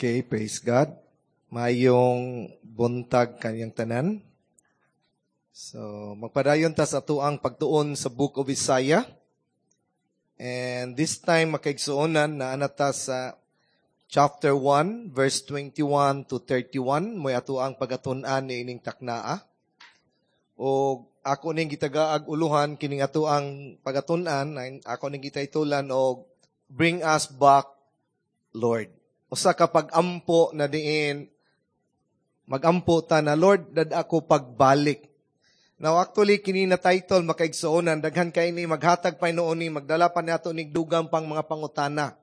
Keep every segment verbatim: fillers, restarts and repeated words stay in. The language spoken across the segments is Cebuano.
Okay, praise God. Maayong buntag kaninyong tanan. So, magpadayon ta sa atuang pagtuon sa Book of Isaiah. And this time, makaigsuonan naa na ta sa chapter one, verse twenty-one to thirty-one. Mao'y atuang pagatun-an niining taknaa. O ako ning gitagaag uluhan kining atuang pagatun-an, ako ning gitaytolan og "Bring Us Back, Lord." Usa ka pag-ampo na diin magampo ta na, "Lord, dad-a ko pagbalik." Now actually, kini na title, makaigsuonan, daghan kay ni maghatag pa hinuon ni magdala pa nato nig dugang pang mga pangutana.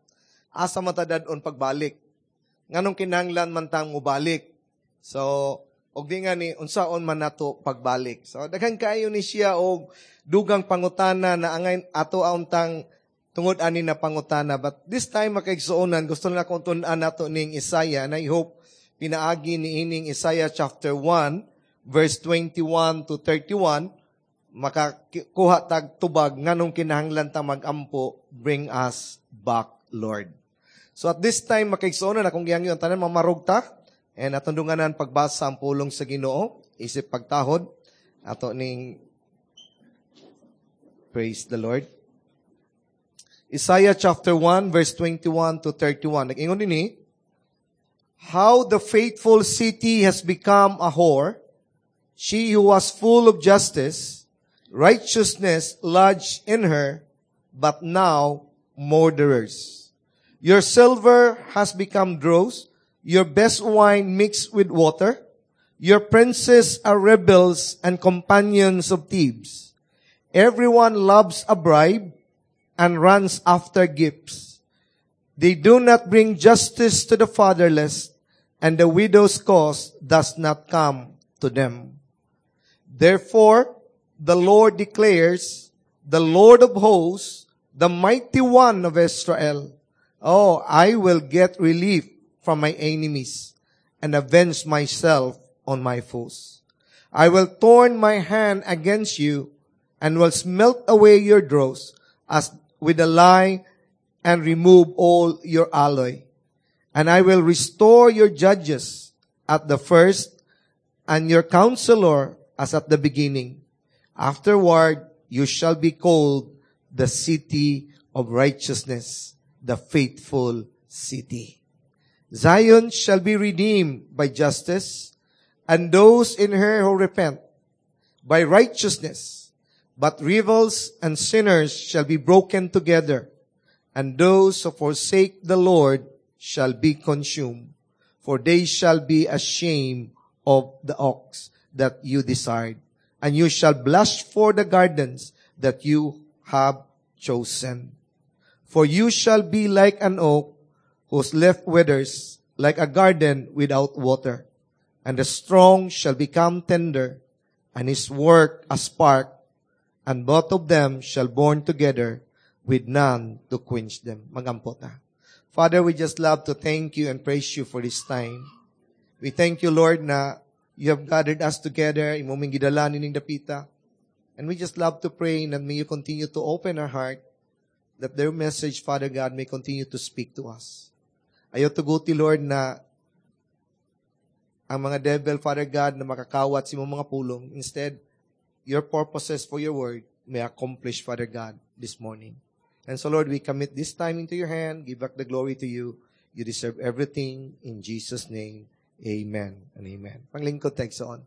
Asa man ta dad-on pagbalik? Nganong kinahanglan man tang mobalik? So, og di nga ni unsaon man nato pagbalik? So daghan kaayo ni siya og dugang pangutana na angay ato untang tungod ani na pangutana. But this time, makaigsuonan, gusto na akong tun-an nato ning Isaiah, and I hope pinaagi ni ining Isaiah chapter one, verse twenty-one to thirty-one, makakuha tag tubag nganong kinahanglan ta magampo, "Bring us back, Lord." So at this time, makaigsuonan, akong gihangyo ang tanan mamarog ta, and atong dunganan pagbasa ang pulong sa Ginoo, isip pagtahod, ato ning praise the Lord. Isaiah chapter one, verse twenty-one to thirty-one. Nag-ingon dinhi, "How the faithful city has become a whore, she who was full of justice, righteousness lodged in her, but now murderers. Your silver has become dross, your best wine mixed with water. Your princes are rebels and companions of thieves. Everyone loves a bribe and runs after gifts. They do not bring justice to the fatherless, and the widow's cause does not come to them. Therefore, the Lord declares, the Lord of hosts, the mighty one of Israel, 'Oh, I will get relief from my enemies and avenge myself on my foes. I will turn my hand against you and will smelt away your dross as with a lye and remove all your alloy. And I will restore your judges at the first and your counselor as at the beginning. Afterward, you shall be called the city of righteousness, the faithful city. Zion shall be redeemed by justice, and those in her who repent by righteousness. But rebels and sinners shall be broken together, and those who forsake the Lord shall be consumed, for they shall be ashamed of the oaks that you desired, and you shall blush for the gardens that you have chosen. For you shall be like an oak whose leaf withers, like a garden without water. And the strong shall become tender, and his work a spark, and both of them shall burn together with none to quench them." Magampo ta. Father, we just love to thank you and praise you for this time. We thank you, Lord, na you have gathered us together, imo ming gidala nining dapita. And we just love to pray that may you continue to open our heart, that their message, Father God, may continue to speak to us. Ayaw tuguti, Lord, na ang mga devil, Father God, na makakawat sa imong mga pulong. Instead, your purposes for your word may accomplish, Father God, this morning. And so, Lord, we commit this time into your hand. Give back the glory to you. You deserve everything. In Jesus' name, amen and amen. Panglingkod, on.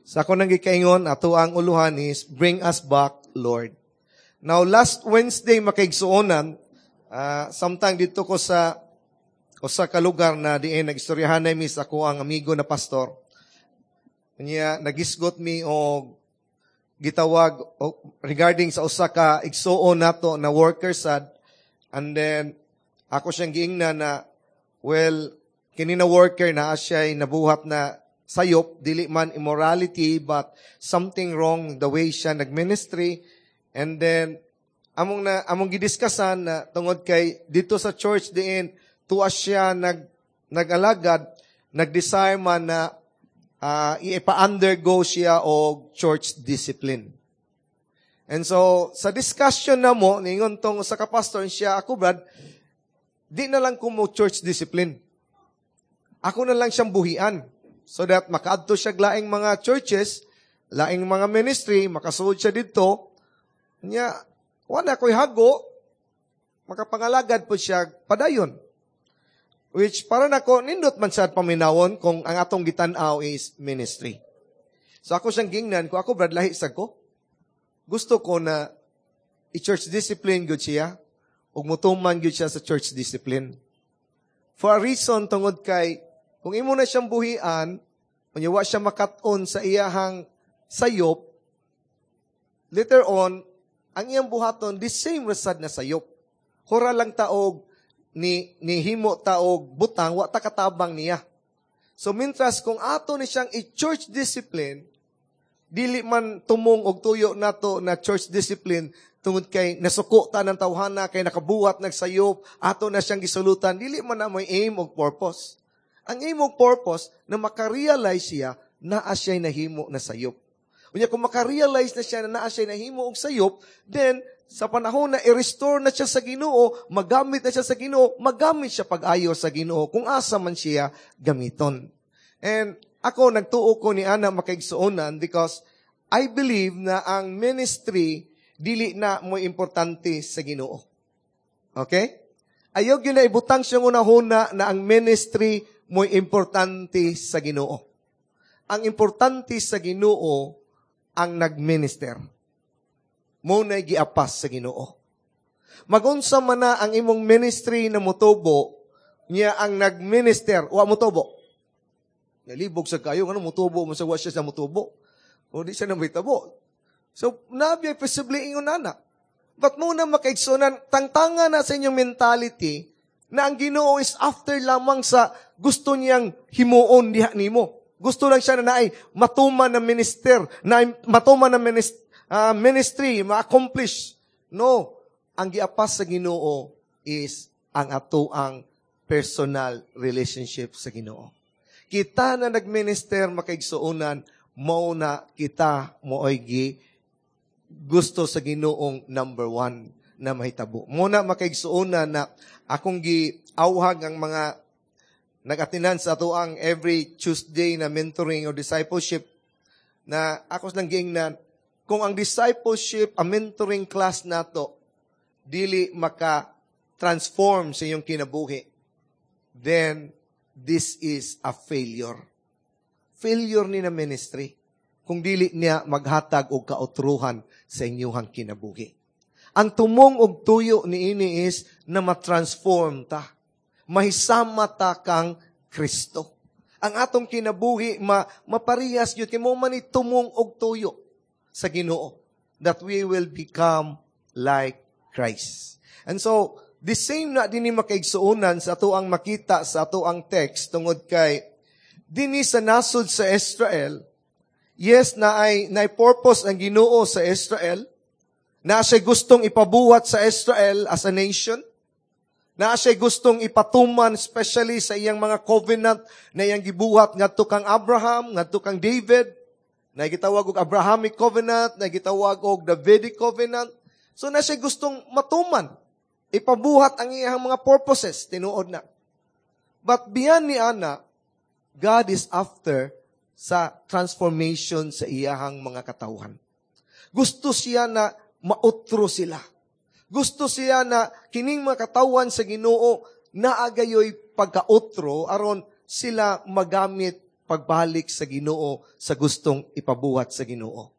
Sa ako nang gikaingon, ato ang uluhan is, "Bring Us Back, Lord." Now, last Wednesday, makaigsuonan, uh, samtang dito ko sa usa ka lugar na diin nagstoryahan mi sa ako ang amigo na pastor. Niya nagisgot mi og gitawag o, regarding sa usa ka igsuon nato na worker sad, and then ako siyang giingnan na, well, kini na worker na siya nabuhat na sayop, dili man immorality but something wrong the way siya nagministry. And then among na among gidiskusan na tungod kay dito sa church diin tuwa siya nag nag-alagad, nag-desire man na uh, ipa-undergo siya og church discipline. And so, sa discussion namo, ningon tong sa kapastor siya, ako Brad, di na lang ko mo church discipline. Ako na lang siyang buhian. So that makaadto siya laing mga churches, laing mga ministry, makasuod siya dito. Nya, wala ko'y hago, makapangalagad po siya padayon. Which para nako nindot man siya paminawon kung ang atong gitan-aw is ministry. So ako siyang gingnan ko, ako Brad, lahi sa ko. Gusto ko na i-church discipline gud siya ug mutuman gyud siya sa church discipline. For a reason tungod kay kung imo na siyang buhian, unya wa siya makat-on sa iyahang sayop, later on, ang iyang buhaton, the same ra sad na sayop. Hura lang taog, ni, ni himo taog butang, wa ta katabang niya. So, mintras kung ato ni siyang i-church discipline, dili man tumong og tuyo nato na church discipline tungod kay nasuko ta ng tawhana kay nakabuhat nagsayop ato na siyang gisulutan dili man na mo'y aim og purpose ang aim og purpose na makarealize siya naa siya'y nahimo na sayop unya kung makarealize na siya na naa siya'y nahimo og sayop then sa panahon na i-restore na siya sa Ginoo magamit na siya sa Ginoo magamit siya pag-ayo sa Ginoo kung asa man siya gamiton and ako nagtuo ko ni ana makaigsuonan because I believe na ang ministry dili na mo importante sa Ginoo. Okay? Ayaw gyud na ibutang siyang unahuna na ang ministry mo importante sa Ginoo. Ang importante sa Ginoo ang nagminister. Mo na giapas sa Ginoo. Magunsa man na ang imong ministry na mutubo, niya ang nagminister, wa mutubo. Nalibog sa kayo, ano mutubo mo sa wa siya sa mutubo. O di siya na mahitabo. So, nabi possibly ingon nana. But muna makaigsunan, tangtanga na sa inyong mentality na ang Ginoo is after lamang sa gusto niyang himuon diha nimo. Gusto lang siya na naay matuman na minister, na matuman na minist, uh, ministry, ma-accomplish. No, ang giapas sa Ginoo is ang atoang personal relationship sa Ginoo. Kita na nagminister makaigsuonan, mao na kita mooy gi gusto sa Ginoong number one na mahitabo. Muna makaigsuonan na akong giawhag ang mga nag-atinan sa atoang every Tuesday na mentoring o discipleship na ako lang giingnan kung ang discipleship, ang mentoring class nato dili maka-transform sa iyong kinabuhi, then this is a failure. Failure ni na ministry kung dili niya maghatag og kautruhan sa inyuhang kinabuhi. Ang tumong og tuyo ni ini is na ma-transform ta. Mahisama ta kang Kristo. Ang atong kinabuhi ma maparehas gyud kay mo man ni tumong og tuyo sa Ginoo that we will become like Christ. And so, the same na dinhi makaigsuonan sa ato ang makita sa ato ang text tungod kay dinhi sa nasod sa Israel, yes, na ay na purpose ang Ginoo sa Israel, na siya gustong ipabuhat sa Israel as a nation, na siya gustong ipatuman especially sa iyang mga covenant na iyang gibuhat ngadto kang Abraham, ngadto kang David, na gitawag og Abrahamic covenant, na gitawag og Davidic covenant. So na siya gustong matuman, ipabuhat ang iyang mga purposes, tinuod na. But beyond ni ana, God is after sa transformation sa iyahang mga katawhan. Gusto siya na mautro sila. Gusto siya na kining mga katawhan sa Ginoo naagayoy pagkautro aron sila magamit pagbalik sa Ginoo sa gustong ipabuhat sa Ginoo.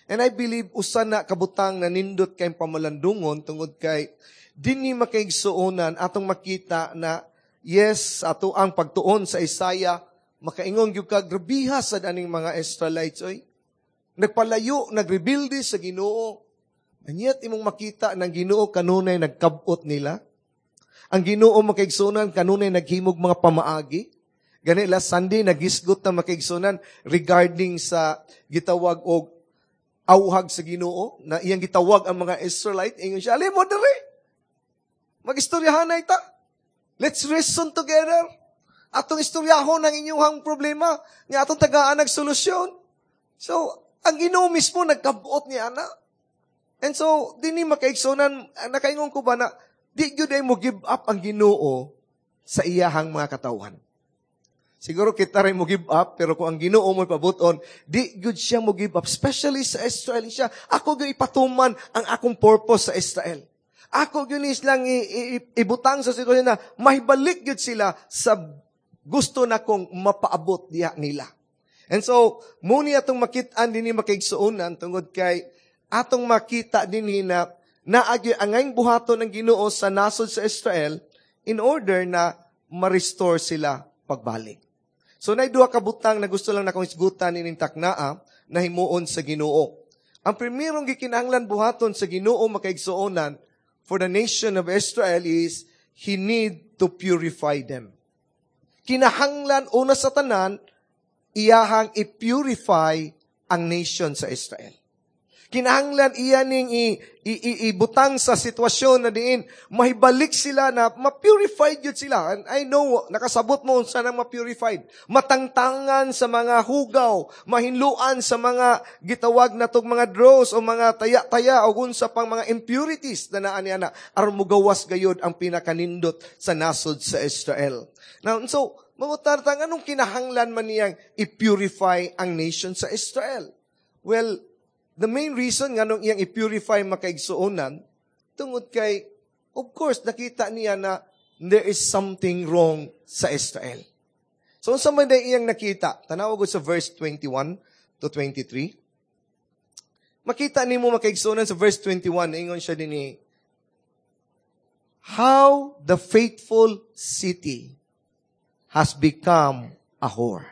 And I believe usa na kabutang na nindot kay pamalandungon tungod kay dinhi makaigsuonan atong makita na yes ato ang pagtuon sa Isaiah makaingon gyud ka grabiha sad aning mga Israelites oy. Nagpalayo, nagrebelde sa Ginoo. And yet imong makita ng Ginoo kanunay nagkabot nila. Ang Ginoo makaigsuonan kanunay naghimog mga pamaagi. Gani last Sunday nagisgot na makaigsuonan regarding sa gitawag og awhag sa Ginoo na iyang gitawag ang mga Israelite ingon siya ali mo diri. Magistoryahanay ta. Let's reason together. Atong istoryahon ang inyong problema, nga atong tagaan ng solusyon. So, ang Ginoo mismo nagkabuot ni ana. And so, dinhi makaigsuonan, nakaingon ko ba na, di gyud ay mo give up ang Ginoo sa iyahang mga katawhan. Siguro kita rin mo give up, pero kung ang Ginoo mo pabuton, di gyud siya mo give up, especially sa Israel siya. Ako gyud ipatuman ang akong purpose sa Israel. Ako gyud silang ibutang sa sitwasyon na mahibalik gyud sila sa gusto na kong mapaabot diha nila. And so, muni atong makit-an dinhi makaigsuonan tungod kay atong makita dinhi na naagi angayng buhaton ng Ginoo sa nasod sa Israel in order na ma-restore sila pagbalik. So naay duha ka butang na gusto lang nakong isgutan ining taknaa na himuon sa Ginoo. Ang primerong gikinahanglan buhaton sa Ginoo makaigsuonan for the nation of Israel is he need to purify them. Kinahanglan una sa tanan iyahang i-purify ang nation sa Israel. Kinahanglan iya ning i, i, i, ibutang sa sitwasyon na diin mahibalik sila na ma-purified yun sila. And I know, nakasabot mo unsa nang ma-purified. Matangtangan sa mga hugaw, mahinluan sa mga gitawag na tog mga dross o mga taya-taya o unsa pang mga impurities na naa niya na aron mugawas gayod ang pinakanindot sa nasod sa Israel. Now, so, mangutan ta, anong kinahanglan man niyang i-purify ang nation sa Israel? Well, the main reason nganong iyang i-purify makaigsuonan, tungod kay, of course, nakita niya na there is something wrong sa Israel. So, unsa man day iyang nakita? Tanawa gud sa verse twenty-one to twenty-three. Makita nimo makaigsuonan sa verse twenty-one, ingon siya dinhi, "How the faithful city has become a whore."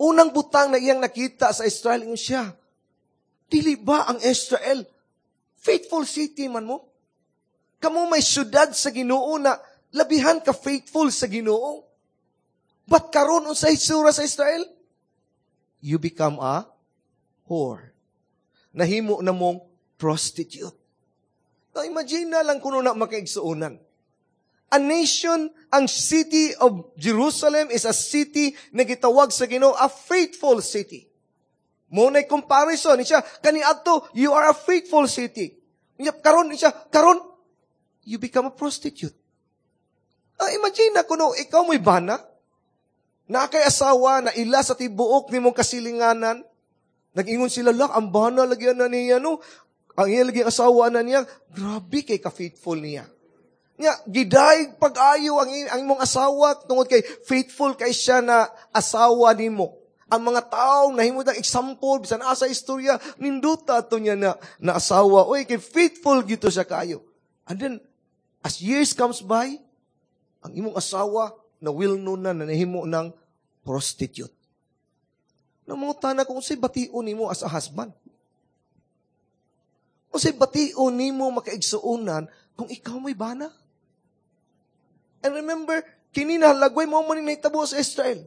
Unang butang na iyang nakita sa Israel, ingon siya, "Dili ba ang Israel faithful city man mo? Kamo may syudad sa Ginoo na labihan ka faithful sa Ginoo. But karon unsay hitsura sa Israel? You become a whore. Nahimo na mong prostitute." Now, imagine na lang kuno na makaigsuonan. A nation, ang city of Jerusalem is a city na gitawag sa Ginoo a faithful city. Mo na comparison siya kaniadto, you are a faithful city. Nya karon siya, karon you become a prostitute. Ah, imagine na kuno ikaw mo'y bana, na kay asawa na ila sa tibuok nimong kasilinganan. Nag-ingon sila lang, ang bana lagi na niya no. Ang iya lagi asawa na niya, grabe kay ka-faithful niya. Nya, gidaig pag-ayo ang, ang imong asawa tungod kay faithful kay siya na asawa nimo. Ang mga tao nahimo ng example bisan asa istorya nindota ato niya na, na asawa. Oy, kay faithful gito siya kayo. And then as years comes by, ang imong asawa na well known na nahimo ng prostitute. Namangutana kung unsay bation nimo as a husband. Unsay bation nimo makaigsuonan kung ikaw may bana. And remember, kini na lagway mo man ni nahitabo sa Israel.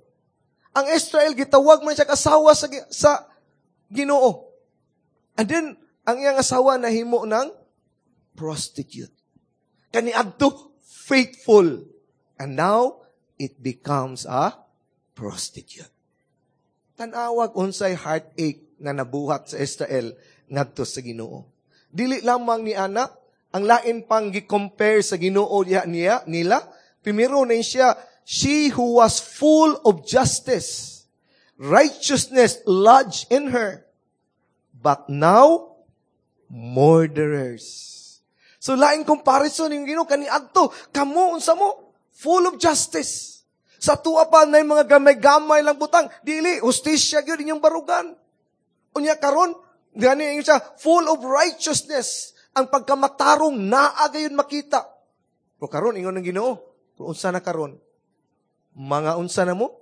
Ang Israel gitawag man siya asawa sa, sa Ginoo. And then ang iyang asawa nahimo ng prostitute. Kaniadto faithful. And now it becomes a prostitute. Tanawag unsay heartache na nabuhat sa Israel ngadto sa Ginoo. Dili lamang ni ana, ang lain pang gi-compare sa Ginoo diha niya nila, primero na siya, "She who was full of justice, righteousness lodged in her, but now murderers." So laing comparison yung Ginoo kaniadto, kamo unsa mo? Full of justice. Sa tuwa pa na mga gamay-gamay lang butang, dili hustisya gyud inyong barugan. Unya karon, gani siya full of righteousness. Ang pagkamatarong naa gayon makita. Pero karon ingon ng Ginoo, pero unsa na karon? Mga unsa na mo?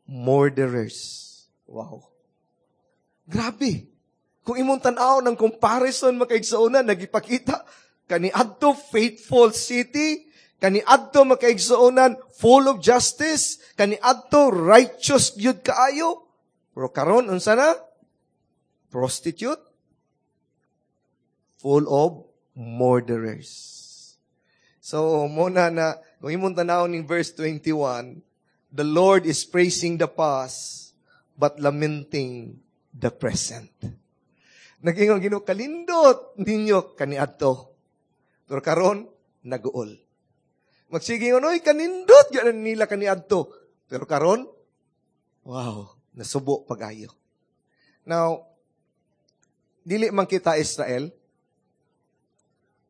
Murderers. Wow. Grabe. Kung imong tan-aw ng comparison makaigsuonan, nagipakita, kaniadto faithful city, kaniadto makaigsuonan full of justice, kaniadto righteous gyud kaayo. Pero karon unsa na? Prostitute, full of murderers. So, muna na, kung imong tan-aw ning verse twenty-one, the Lord is praising the past, but lamenting the present. Nag-ingon Ginoo, kalindot ninyo kaniadto. Pero karon naguol. Magsige ingon, oy, kanindot gyud nila kaniadto. Pero karon, wow, nasubo pag-ayo. Now, dili man kita Israel,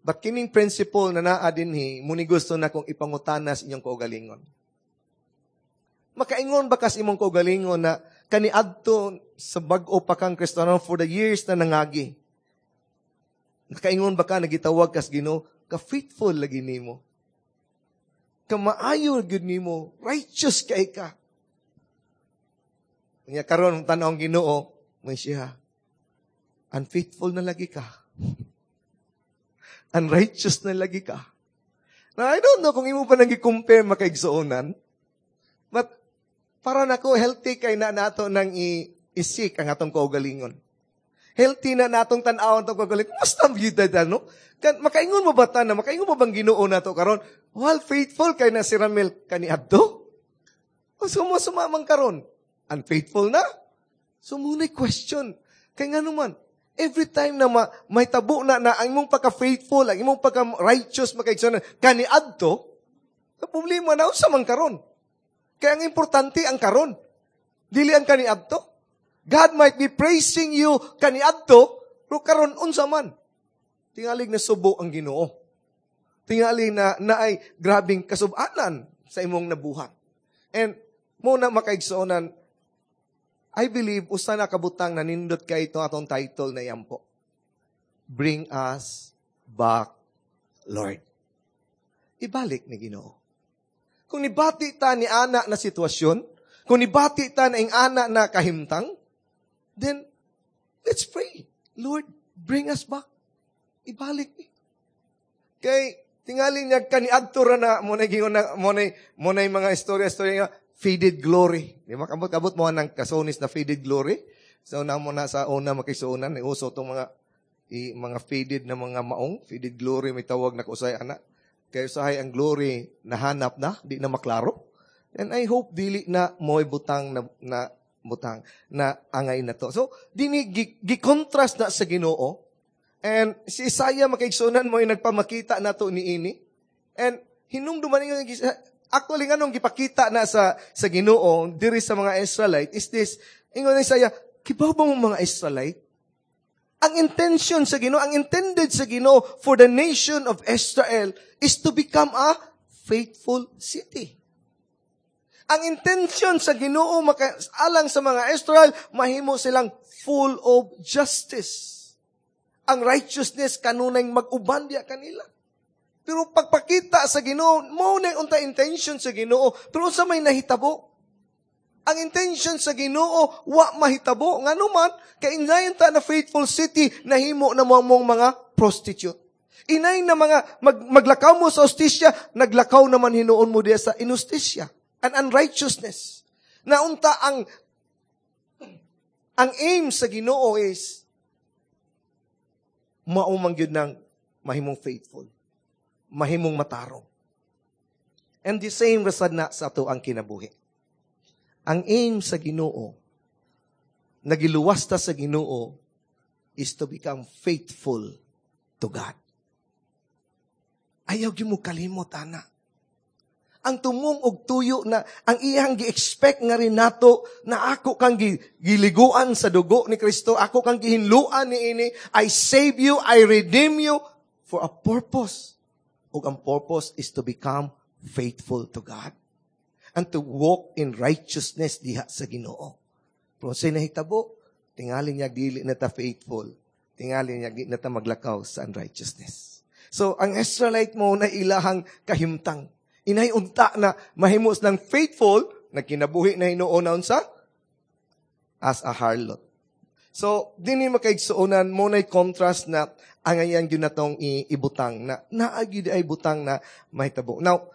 but kining principle na naa dinhi, muni gusto na kong ipangutana sa inyong kaugalingon. Makaingon ba kas imong kaugalingon na kaniadto sa bag-o pa kang Kristiyano for the years na nangagi? Nakaingon ba ka nagitawag kas Ginoo, ka faithful lagi nimo? Ka maayo gyud nimo, righteous kay ka. Nya karon tan-aw ang Ginoo, may siya. Unfaithful na lagi ka. Unrighteous na lagi ka. Now, I don't know kung imo pa nang gi-compare makaigsuonan. But, para nako healthy kay na nato nang i- isik ang atong kaugalingon. Healthy na natong tan-awon atong kaugalingon. Kumusta ang vida no? Kan, makaingon mo ba ta na? Makaingon mo bang Ginoo nato karon? Well, faithful kay na si Ramel kaniadto. O sumo-suma man karon. Unfaithful na? So muna'y question. Kay nga naman, every time na ma, may tabo na na ang imong pagka-faithful, ang imong pagka-righteous makaigsuonan, kaniadto, sa problema na unsa man karon. Kaya ang importante ang karon. Dili ang kaniadto. God might be praising you kaniadto, pero karon unsa man. Tingalig na subo ang Ginoo. Tingali na naay grabing kasubanan sa imong nabuhat. And mo na makaigsuonan, I believe usa na kabutang nanindot kay ito atong title na yampo. Bring us back, Lord. Ibalik ni Ginoo. Kung nibati ta ni ana na sitwasyon, kung nibati ta na ing ana na kahimtang, then let's pray. Lord, bring us back. Ibalik ni. Kay tingali niya kaniadto ra na mo na gingon na mo na mo na mga istorya-istorya nga faded glory. Di ba kabot-kabot mo ng kasonis na faded glory? So na mo na sa una makisuonan ni uso tong mga i, mga faded na mga maong, faded glory may tawag na kusay ana. Kay usahay ang glory nahanap na, di na maklaro. And I hope dili na mo'y butang na, na butang na angay na to. So dini gi, gi-contrast na sa Ginoo. And si Isaiah makaigsuonan mo ay nagpamakita na to niini. And hinumduman ninyo actually nganong gipakita na sa sa Ginoo diri sa mga Israelite is this ingon ni Isaiah, kibaw ba mo mga Israelite? Ang intention sa Ginoo, ang intended sa Ginoo for the nation of Israel is to become a faithful city. Ang intention sa Ginoo maka, alang sa mga Israel, mahimo silang full of justice. Ang righteousness kanunay mag-uban diya kanila. Pero pagpakita sa Ginoo, mo na unta intention sa Ginoo, pero unsa may nahitabo? Ang intention sa Ginoo wa mahitabo. Ngano man, kay inayon ta na faithful city nahimo na mo mong mga prostitute. Inay na mga mag, maglakaw mo sa hustisya, naglakaw naman hinuon mo diya sa inustisya and unrighteousness. Naunta ang ang aim sa Ginoo is mao man gyud nang mahimong faithful, mahimong matarong. And the same rasad na sa ato ang kinabuhi. Ang aim sa Ginoo, nagiluwas ta sa Ginoo, is to become faithful to God. Ayaw gyud mo kalimot, ana. Ang tumong og tuyo na ang iyang gi-expect nga rin nato na ako kang gi, giliguan sa dugo ni Kristo, ako kang gihinluan ni ini, I save you, I redeem you for a purpose. Ug ang purpose is to become faithful to God and to walk in righteousness diha sa Ginoo. Pero sa nahitabo, tingali niya dili na ta faithful. Tingali niya di na ta maglakaw sa unrighteousness. So, ang Israelite mo na ilahang kahimtang. Inay unta na mahimos ng faithful, nagkinabuhi na hinuon na unsa as a harlot. So, dinhi makaigsuonan mo na contrast na ang ayan gyud natong ibutang na naagi di ay butang na mahitabo. Now,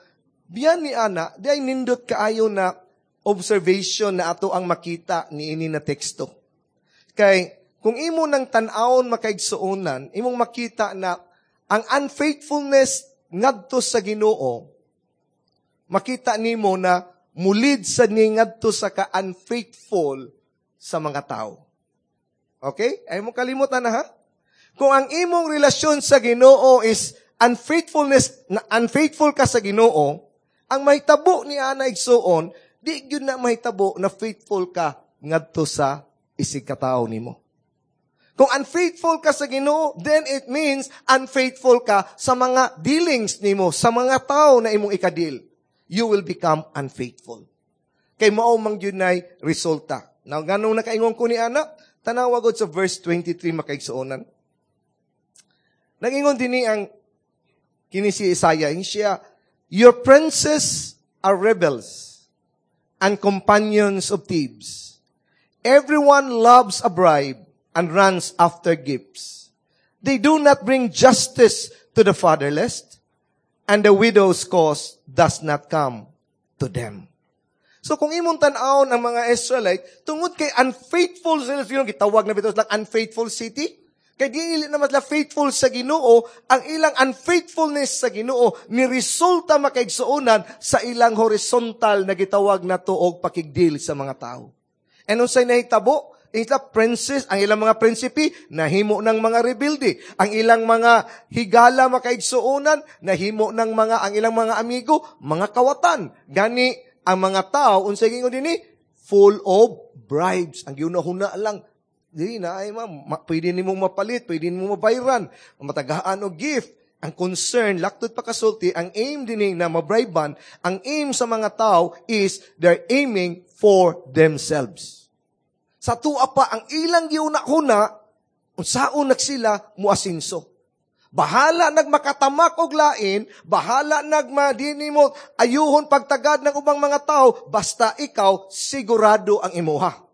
biyan ni ana, di ay nindot kaayo na observation na ato ang makita ni ini na teksto. Kay kung imo nang tan-awon makaigsuonan, imong makita na ang unfaithfulness ngadto sa Ginoo, makita nimo na mulid sa ni ngadto sa ka-unfaithful sa mga tao. Okay? Ay mo kalimutan na ha? Kung ang imong relasyon sa Ginoo is unfaithfulness, na unfaithful ka sa Ginoo, ang mahitabo ni ana igsuon, di gyud na mahitabo na faithful ka ngadto sa isig katawo nimo. Kung unfaithful ka sa Ginoo, then it means unfaithful ka sa mga dealings nimo, sa mga tao na imong ikadil. You will become unfaithful. Kay mao man gyud nay resulta. Now, ganong nakaingon ko ni ana, tanawa gud sa verse twenty-three, makaigsuonan. Nagingon dinhi ang kini si Isaiah, siya, "Your princes are rebels and companions of thieves. Everyone loves a bribe and runs after gifts. They do not bring justice to the fatherless, and the widow's cause does not come to them." So kung imong tan-awon ang mga Israelite, tungod kay unfaithful sila, sino gitawag na bitaw lang unfaithful city? Kay dili naman sila faithful sa Ginoo, ang ilang unfaithfulness sa Ginoo ni resulta, makaigsuonan, sa ilang horizontal na gitawag na tuog pakigdeal sa mga tao. And unsay nahitabo? Ila princes, ang ilang mga prinsipe, nahimo ng mga rebelde. Ang ilang mga higala, makaigsuonan, nahimo ng mga, ang ilang mga amigo, mga kawatan. Gani, ang mga tao, unsay gingon dinhi, full of bribes. Ang giunahuna lang, di na ay ma'am, ma, pwede nimo mapalit, pwede nimo mabayran, matagaan og gift. Ang concern, laktod pa kasulti, ang aim dinhi na mabriban, ang aim sa mga tao is they're aiming for themselves. Sa tuwa pa, ang ilang giuna-huna, unsaon sila muasinso. Bahala nagmakatamak og lain, bahala nagmadini mo ayuhon pagtagad ng ubang mga tao, basta ikaw sigurado ang imuha.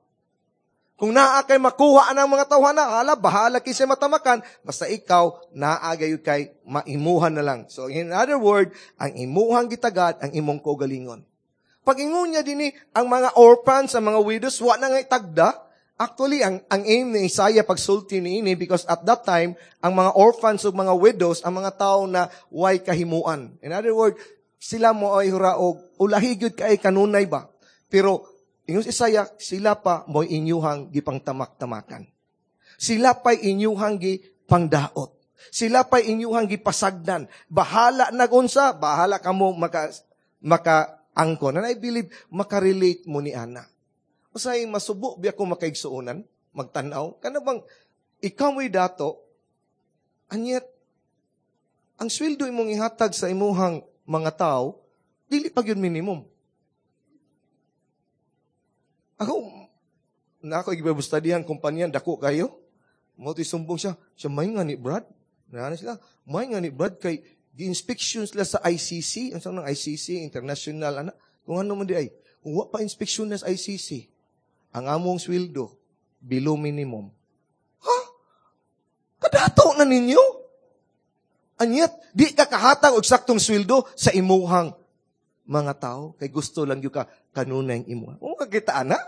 Kung naa kay makuha ang mga tawhana, hala, bahala kinsa matamakan, basta ikaw naa gayud kay maimuhan na lang. So in other word, ang imuhang gitagad, ang imong kaugalingon. Pag ingon niya dinhi, ang mga orphans, ang mga widows, wa na nga tagda. Actually, ang, ang aim ni Isaiah pagsulti ni ini, because at that time, ang mga orphans ug mga widows, ang mga tao na way kahimuan. In other word, sila mo ay huraog, ulahi gyud kay kanunay ba? Pero, ingon si Isaiah, sila pa mo'y inyuhang gipangtamak-tamakan. Sila pa'y inyuhang gipangdaot. Sila pa'y inyuhang gipasagdan. Bahala nagunsa, bahala kamo maka, maka angkon. And I believe, makarelate mo ni Ana. Usay, masubo biya ko makaigsuonan, magtanaw. Kana bang, ikaw mo'y dato, anyet, ang sweldo imong ihatag sa imuhang mga tao, dili pa gyud minimum. Ako, na ako igibabustadihan kumpanya, dako kayo. Mo sumbong siya, siya may nga ni Brad. Nana sila, may nga ni Brad kay gi-inspection sila sa I C C, ang ng I C C, international, ana, kung ano man di ay, kung wa pa inspection na sa I C C, ang among sweldo, below minimum. Ha? Kadato na ninyo? Anyet, di ka kahatag og saktong sweldo sa imuhang mga tao, kay gusto lang gyud ka kanunay ang imuha. Kung kakita ana,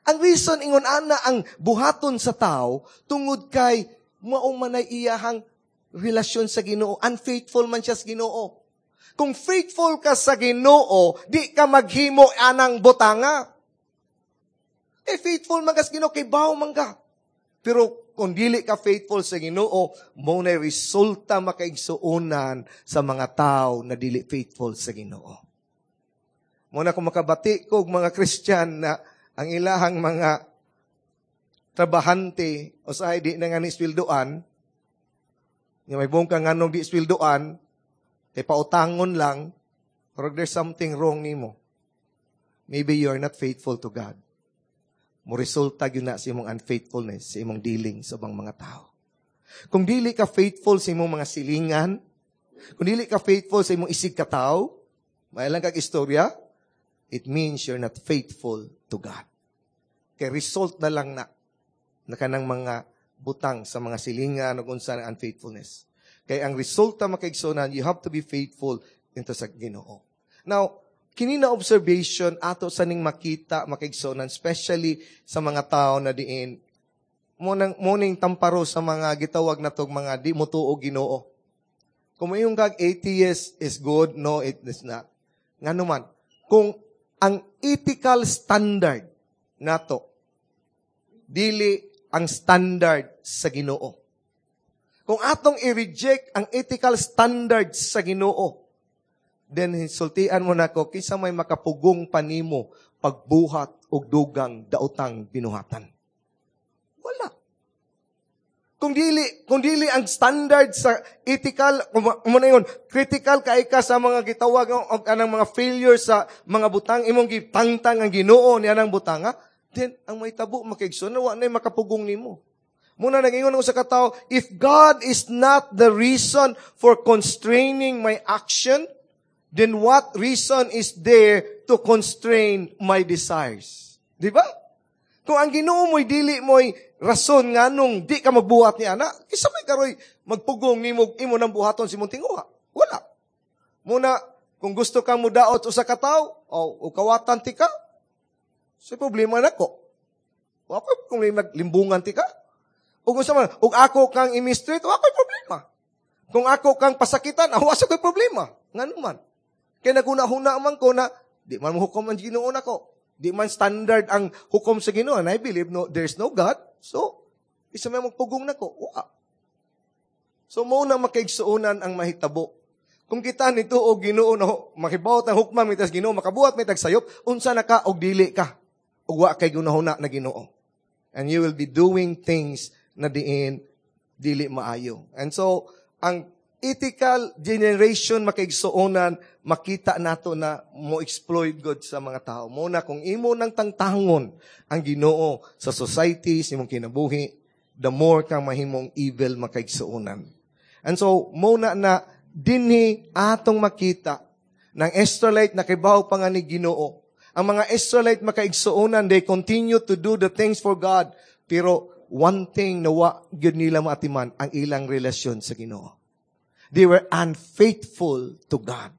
ang reason ingon ana ang buhaton sa tao, tungod kay mao manay iyahang relasyon sa Ginoo. Unfaithful man siya sa Ginoo. Kung faithful ka sa Ginoo, di ka maghimo anang butanga. Eh, faithful man ka sa Ginoo, kay baw man ka. Pero kung dili ka faithful sa Ginoo, mo na resulta, makaigsuonan, sa mga tao na dili faithful sa Ginoo. Mo na kung makabati ko og mga Christian na ang ilahang mga trabahante o sa di na nga ni sweldoan, nga may buong ka nganong di sweldoan, kay pautangon lang, or there's something wrong nimo. Maybe you are not faithful to God. Mo resulta gyud na sa imong unfaithfulness, sa imong dealing sa ubang mga tao. Kung dili ka faithful sa imong mga silingan, kung dili ka faithful sa imong isig katawo, may lang kag istorya, it means you're not faithful to God. Kay result na lang na, na kanang mga butang sa mga silingan o unsa ng unfaithfulness. Kay ang resulta, makaigsunan, you have to be faithful into sa Ginoo. Now, kini na observation ato sa ning makita, makaigsunan, especially sa mga tao na diin mo nang morning tamparo sa mga gitawag na tog mga di mo tuo Ginoo. Kung mayong kag atheist is good, no, it is not. Ngano man, kung ang ethical standard nato dili ang standard sa Ginoo. Kung atong i-reject ang ethical standards sa Ginoo, then sultian mo nako kinsa may makapugong pa nimo pagbuhat og dugang daotang binuhatan. Wala. Kung dili, kung dili ang standard sa ethical, mo na yun, critical kay ka sa mga gitawag og anang mga failure sa mga butang, imong gitangtang ang Ginoo ni anang butang, ha? Then ang may tabo makaigsoon, wa na makapugong nimo. Muna nag-ingon ako sa katao, if God is not the reason for constraining my action, then what reason is there to constrain my desires? Di ba? Kung ang Ginoo mo'y dili mo'y rason nga nung di ka magbuhat ni ana, kinsa may karoy magpugong nimo imo nang buhaton sa imong tinguha. Wala. Muna, kung gusto kang mudaot usa ka tawo, o, o kawatan ti ka, sa problema nako. Wa ko kung may maglimbungan ti ka. O kung sa man, ug ako kang i-mistreat, wa ko'y problema. Kung ako kang pasakitan, ah, wa sa ko'y problema. Ngano man. Kaya naguna-huna man ko na, di man mo hukom ang Ginoo nako. Di man standard ang hukom sa Ginoo. And I believe no, there's no God. So, isa may magpugong nako. Wa. So, mo na makaigsuonan ang mahitabo. Kung kita nito og Ginoo na makibawot ang hukman mitas Ginoo, makabuhat may tagsayop, unsa na ka og dili ka. Ug wa kay gunahuna na Ginoo. And you will be doing things na diin dili maayo. And so, ang ethical generation makaigsuonan, makita nato na mo exploit God sa mga tao. Mo na kung imo nang tangtangon ang Ginoo sa society, sa imong kinabuhi, the more kang mahimong evil makaigsuonan. And so, mo na na dinhi atong makita ng Israelite na kibaw pa nga ni Ginoo. Ang mga Israelite makaigsuonan, they continue to do the things for God. Pero one thing na wa gyud nila maatiman, ang ilang relasyon sa Ginoo. They were unfaithful to God.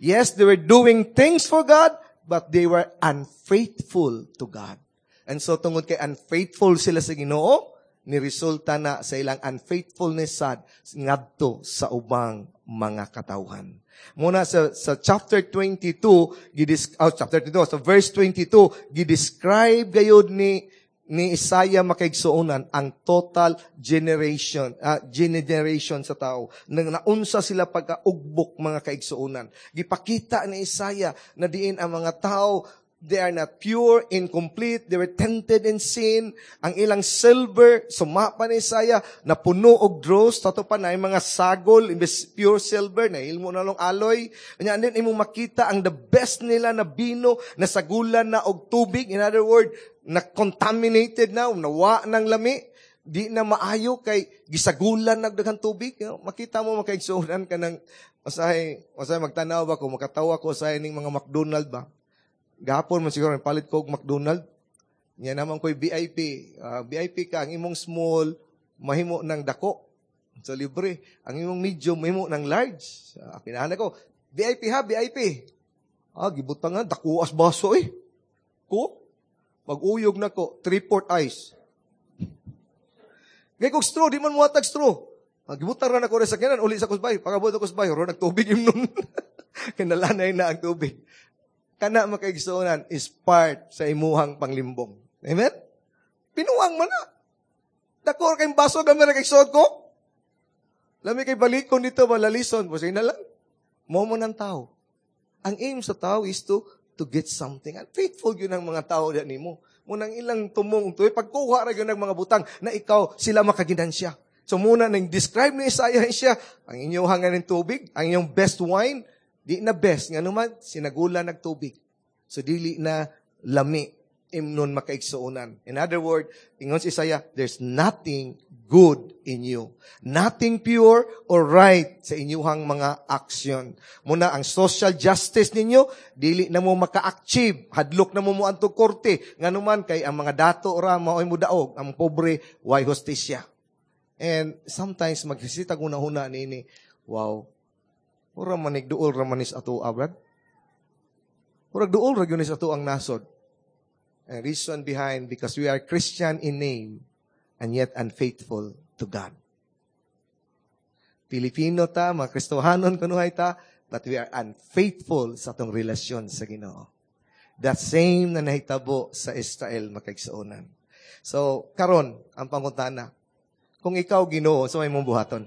Yes, they were doing things for God, but they were unfaithful to God. And so, tungod kay unfaithful sila sa Ginoo, ni resulta na sa ilang unfaithfulness sad ngadto sa ubang mga katawhan. Muna sa, sa chapter twenty-two, gidis, oh, chapter twenty-two, sa verse twenty-two, gidescribe gayud ni ni Isaiah makaigsuonan ang total generation, uh, generation sa tao. Nang naunsa sila pagkaugbok mga kaigsuonan. Gipakita ni Isaiah na diin ang mga tao, they are not pure, incomplete, they were tainted in sin. Ang ilang silver, sumapa ni Isaiah, na puno og dross, tato pa na yung mga sagol, imbes pure silver, na ilmo na long alloy. Anya, and then imong makita ang the best nila na bino, na sagulan na og tubig. In other word, na contaminated na, nawa ng lami, di na maayo kay gisagulan nagdaghang tubig. You know, makita mo makaigsuonan ka ng, usahay, usahay magtanaw ba ko, makatawa ko sa ning mga McDonald ba. Gahapon man siguro, palit ko og McDonald. Nya naman ko'y V I P. Uh, ah, V I P ka, ang imong small, mahimo ng dako. So libre. Ang imong medium, mahimo ng large. Uh, kinahan ko, V I P ha, V I P. Ah, gibutang nga, dako as baso eh. Ko, mag-uyog na ko, three-fourth ice. Ngay kog straw, di man muhatag straw. Ah, gibutang ra na ko sa kinan, uli sa kusbay. Pagabot ko kusbay, ro nagtubig imnon. Kinalanay na ang tubig. Kana makaigsuonan is part sa imuhang panglimbong. Amen? Pinuang man na. Dako kay baso gamay ra kay suot ko. Lami kay balikon dito ba lalison, basta na lang. Mo mo ng tao. Ang aim sa tao is to to get something. And faithful yun ang mga tao diyan nimo. Munang ilang tumong tuloy pagkuha ra gyud ng mga butang na ikaw sila makaginansya. So muna nang describe ni Isaiah siya, ang inyong hangan ng tubig, ang inyong best wine, di na best, nga naman, sinagulan ng tubig. So dili na lami, imnon makaigsuonan. In other word, ingon si Isaiah, there's nothing good in you. Nothing pure or right sa inyuhang mga action. Muna, ang social justice ninyo, dili na mo maka-achieve. Hadlok na mo mo antog korte. Nga naman, kay ang mga dato ra, maoy mo daog, ang pobre, way hustisya. And sometimes, magsisita huna-huna nini, wow, mura manig duol ra manis ato, Brad. Murag duol ra gyud ni sa ato ang nasod. And reason behind, because we are Christian in name and yet unfaithful to God. Pilipino ta, mga Kristohanon kunuhay ta, but we are unfaithful sa atong relasyon sa Ginoo. The same na nahitabo sa Israel makaigsuonan. So, karon ang pangutana. Kung ikaw Ginoo, unsa may imong buhaton?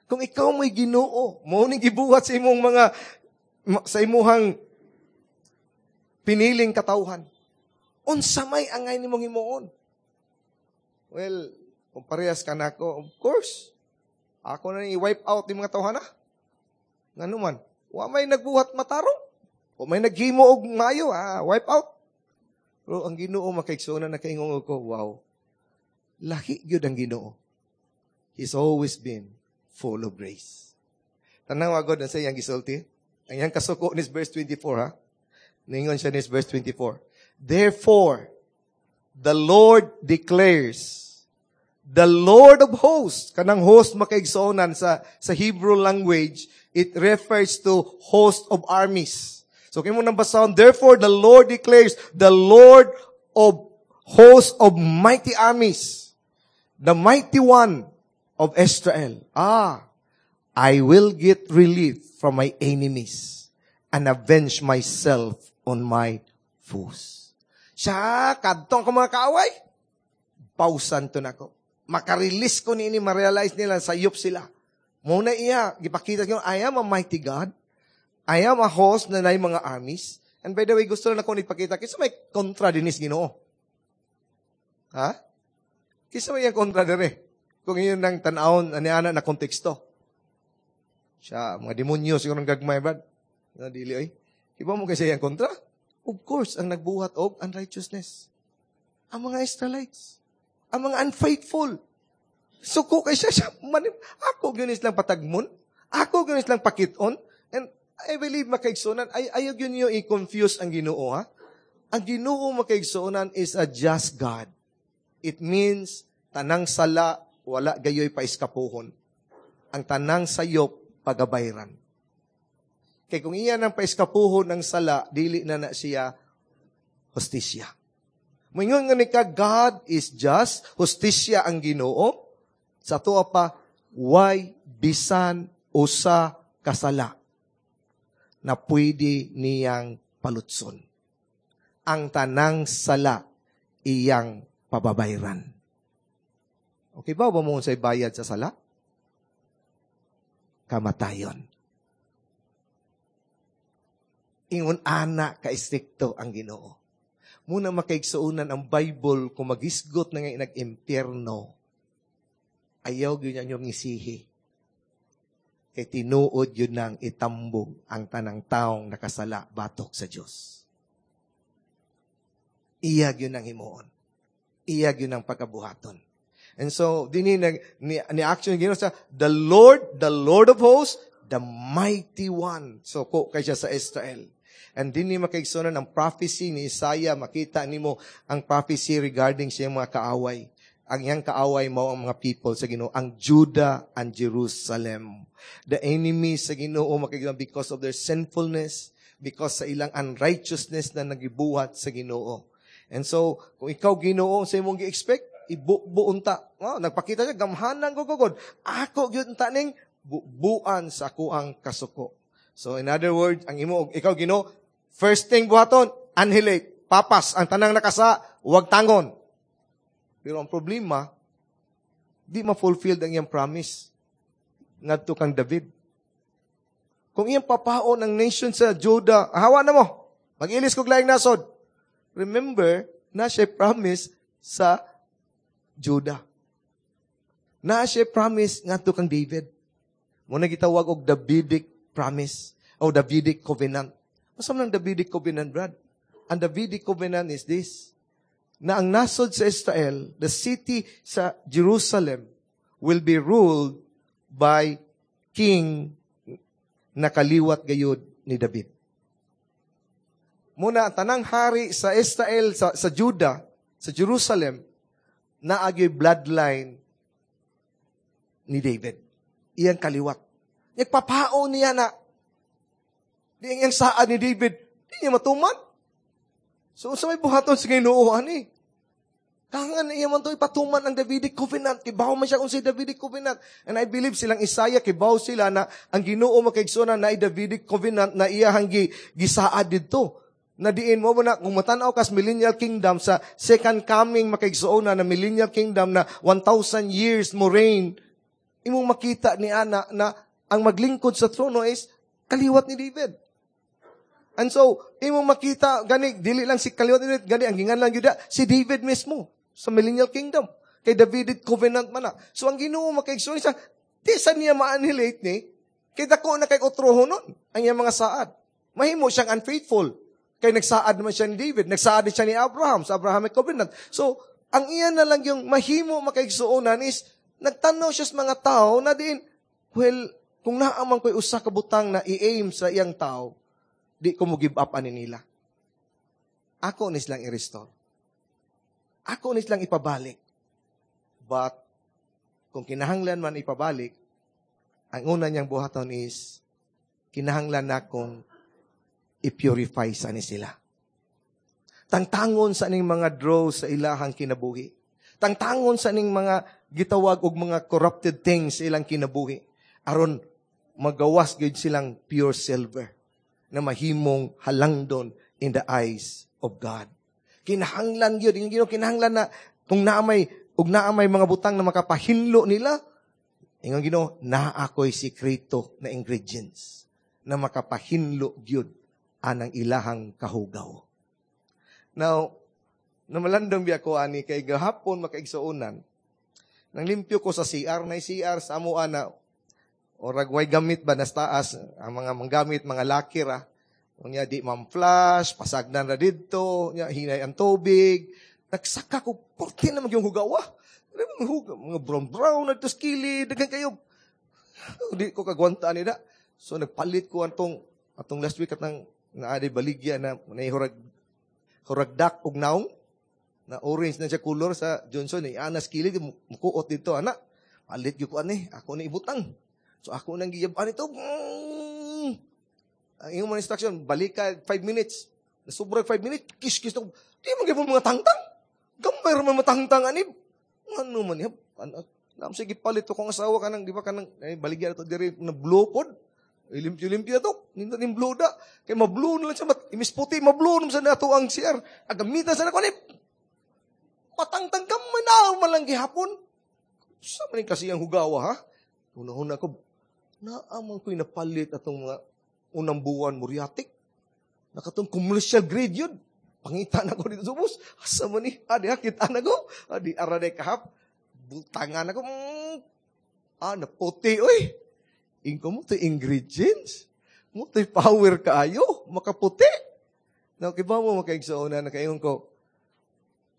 Kung ikaw may Ginoo, mao ning gibuhat sa imong mga sa imuhang piniling katawhan. Unsa may angay nimong himuon? Well, kung parehas ka nako, of course, ako na i-wipe out yung mga tawhana. Ngano man, wa may nagbuhat matarong. Wa may naghimo og maayo, ah, wipe out. Pero ang Ginoo makaigsoon na nakaingon ko, wow. Lahi gyud ang Ginoo. He's always been full of grace. Tanawa god sa iyang gisulti. Ang iyang kasuko ni verse twenty-four ha. Ningon siya ni verse twenty-four. "Therefore, the Lord declares, the Lord of hosts," kanang host makaigsuonan sa, sa Hebrew language, it refers to host of armies. So, kaya mo nang basahon, "Therefore, the Lord declares, the Lord of hosts of mighty armies, the mighty one of Israel. Ah, I will get relief from my enemies and avenge myself on my foes." Siya, kadtong ko mga kaaway, pausan to nako. Makarelease ko niini, ma-realize nila, sayop sila. Muna iya, gipakita niyo, I am a mighty God. I am a host na naay mga armies. And by the way, gusto lang ako ipakita, kinsa may kontra dinis Ginoo? Ha? Kinsa may ang kontra dire? Kung iyon nang tan-awon, ani-ana na konteksto. Siya, mga demonyo, siguro ng gagmay, brad. Na dili, oy. Iba mo kasi ang kontra? Of course, ang nagbuhat og unrighteousness. Ang mga Israelites. Ang mga unfaithful. Suko kay siya, siya manim, ako gyud lang patagmon. Ako gyud lang pakiton. And I believe makaigsuonan, ay ayaw gyud niyo i-confuse ang Ginoo, ha? Ang Ginoo makaigsuonan is a just God. It means tanang sala wala gayoy paiskapuhon. Ang tanang sayop pagabayran. Kay kung iya nang paiskapuhon ang sala, dili na na siya hustisya. Moingon nga ni ka, God is just, hustisya ang Ginoo. Sa tuwa pa, why bisan usa kasala na pwede niyang palutson. Ang tanang sala iyang pababayran. Okay ba? Ba mo sa bayad sa sala? Kamatayon. Ingon ana ka-istrikto ang Ginoo. Muna makaigsuonan ang Bible kung magisgot na nga nag-impyerno, ayaw gyud niya ngisihi. Kay tinuod yun nang itambog ang tanang taong nakasala batok sa Diyos. Iya gyud nang himuon. Iya gyud nang pagkabuhaton. And so, dini nag ni, ni action Ginoo sa the Lord, the Lord of hosts, the mighty one. So ko kay siya sa Israel. And dinhi makaigsuonan ang prophecy ni Isaiah, makita nimo ang prophecy regarding sa iyang mga kaaway. Ang iyang kaaway mao ang mga people sa Ginoo, ang Judah and Jerusalem. The enemy sa Ginoo makaigsuonan because of their sinfulness, because sa ilang unrighteousness na nagibuhat sa Ginoo. And so, kung ikaw Ginoo sa imong gi-expect, ibubuon ta. Oh, nagpakita siya, gamhanan ko gugod. Ako gyud ta ning bubuan sa akuang kasuko. So in other words, ang imo ikaw Ginoo, first thing buhaton, annihilate, papas ang tanang nakasa, wag tangon. Pero ang problema, di ma-fulfill ang iyang promise ngadto kang David. Kung iyang papaon ang nation sa Judah, hawa na mo, mag-ilis kog laing nasod. Remember, na siya promise sa Judah. Na siya promise ngadto kang David. Muna gitawag og Davidic promise o Davidic covenant. Unsa man ang Davidic covenant, Brad? Ang Davidic covenant is this, na ang nasod sa Israel, the city sa Jerusalem, will be ruled by king na kaliwat gayud ni David. Muna, ang tanang hari sa Israel, sa, sa Judah, sa Jerusalem, naagyoy bloodline ni David. Iyang kaliwat. Nagpapao niya na. Di iyang saad ni David, di niya matuman. So, sa may buhaton sa Ginoo, ani? Kangan iya man to ipatuman ang Davidic covenant. Kibaw man siya kung si Davidic covenant. And I believe silang Isaiah, kibaw sila na ang Ginoo makaigsoona na Davidic covenant na iyahang gi, gisaad didto. Na diin mo na kung matanaw kas millennial kingdom sa second coming makaigsuona na millennial kingdom na one thousand years mo reign, imong makita ni ana na ang maglingkod sa trono is kaliwat ni David. And so, imong makita gani dili lang si kaliwat ni David, gani ang ginganlan gyud si David mismo sa millennial kingdom. Kay Davidic covenant man na. So ang Ginoo, makaigsuon siya, di sa niya ma-annihilate ni kay dako na kay otroho nun ang iyang mga saad. Mahimo siyang unfaithful. Kay nagsaad naman siya ni David, nagsaad din siya ni Abraham sa Abrahamic covenant. So, ang iya na lang yung mahimo, makaigsuonan, is nagtanaw siya sa mga tao na din, well, kung naaman ko'y usa ka butang na i-aim sa iyang tao, di ko mo give up ani nila. Ako ni silang i-restore. Ako ni silang ipabalik. But, kung kinahanglan man ipabalik, ang una niyang buhaton is, kinahanglan na kong i-purify sa ni sila. Tangtangon sa ning mga dross sa ilahang kinabuhi. Tangtangon sa ning mga gitawag og mga corrupted things sa ilang kinabuhi. Aron magawas gyud silang pure silver na mahimong halangdon in the eyes of God. Kinahanglan gyud, yung Ginoo kinahanglan na kung naa may ug naa may mga butang na makapahinlo nila, ingon Ginoo, naa ako'y sikreto na ingredients na makapahinlo gyud anang ilahang kahugaw. Now, namalandong biya ko ani kay gahapon, makaigsuonan, nang limpyo ko sa C R, na C R sa amoa na orag way gamit ba nas taas, ang mga manggamit, mga lakir ah. Unya di man flush, pasagdan ra didto, unya hinay ang tubig. Nagsaka ko, porte na yung hugawa. Mga hugaw, mga brown brown na dito sa kilid, daghan kayo. Di ko kagwanta nila. So nagpalit ko atong atong last week at nang naadi baligya na naihurag hurag dak og naong na orange na siya color sa Johnson eh. Anas kilid mukuot dito ana. Palit gyud ko ani, ako ni ibutang. So ako nang giyab-an ito. Mm. Ang iyong mga instruction, balik ka five minutes. Nasubra five minutes, kis kis na. Di man gyud mga tangtang. Gamay ra man matangtang ani. Ano man yan? Ano, nam sige palit ko kung asawa ka nang di ba kanang ay baligya to diri na blue pod. Limpyo-limpyo to. Nindot ning blue da. Kay ma-blue na lang siya. Mat, imis puti, ma-blue naman sa nato ang C R. Agamitan sa nako ni. Matangtang gamay na man lang gihapon. Sa man kasi ang hugawa, ha? Una-una ko, naaman ko'y napalit atong mga unang buwan muriatic. Nakatong commercial grade yun. Pangita na ko dito sa bus. Asa man ni? Adi ha, kita na ko. Adi, araday kahap. Butangan ako. Mm, ah, naputi, oy. Ingko mo to ingredients. Mo to power kaayo. Makaputi. Now, kiba mo makaigsoona na kaingon ko,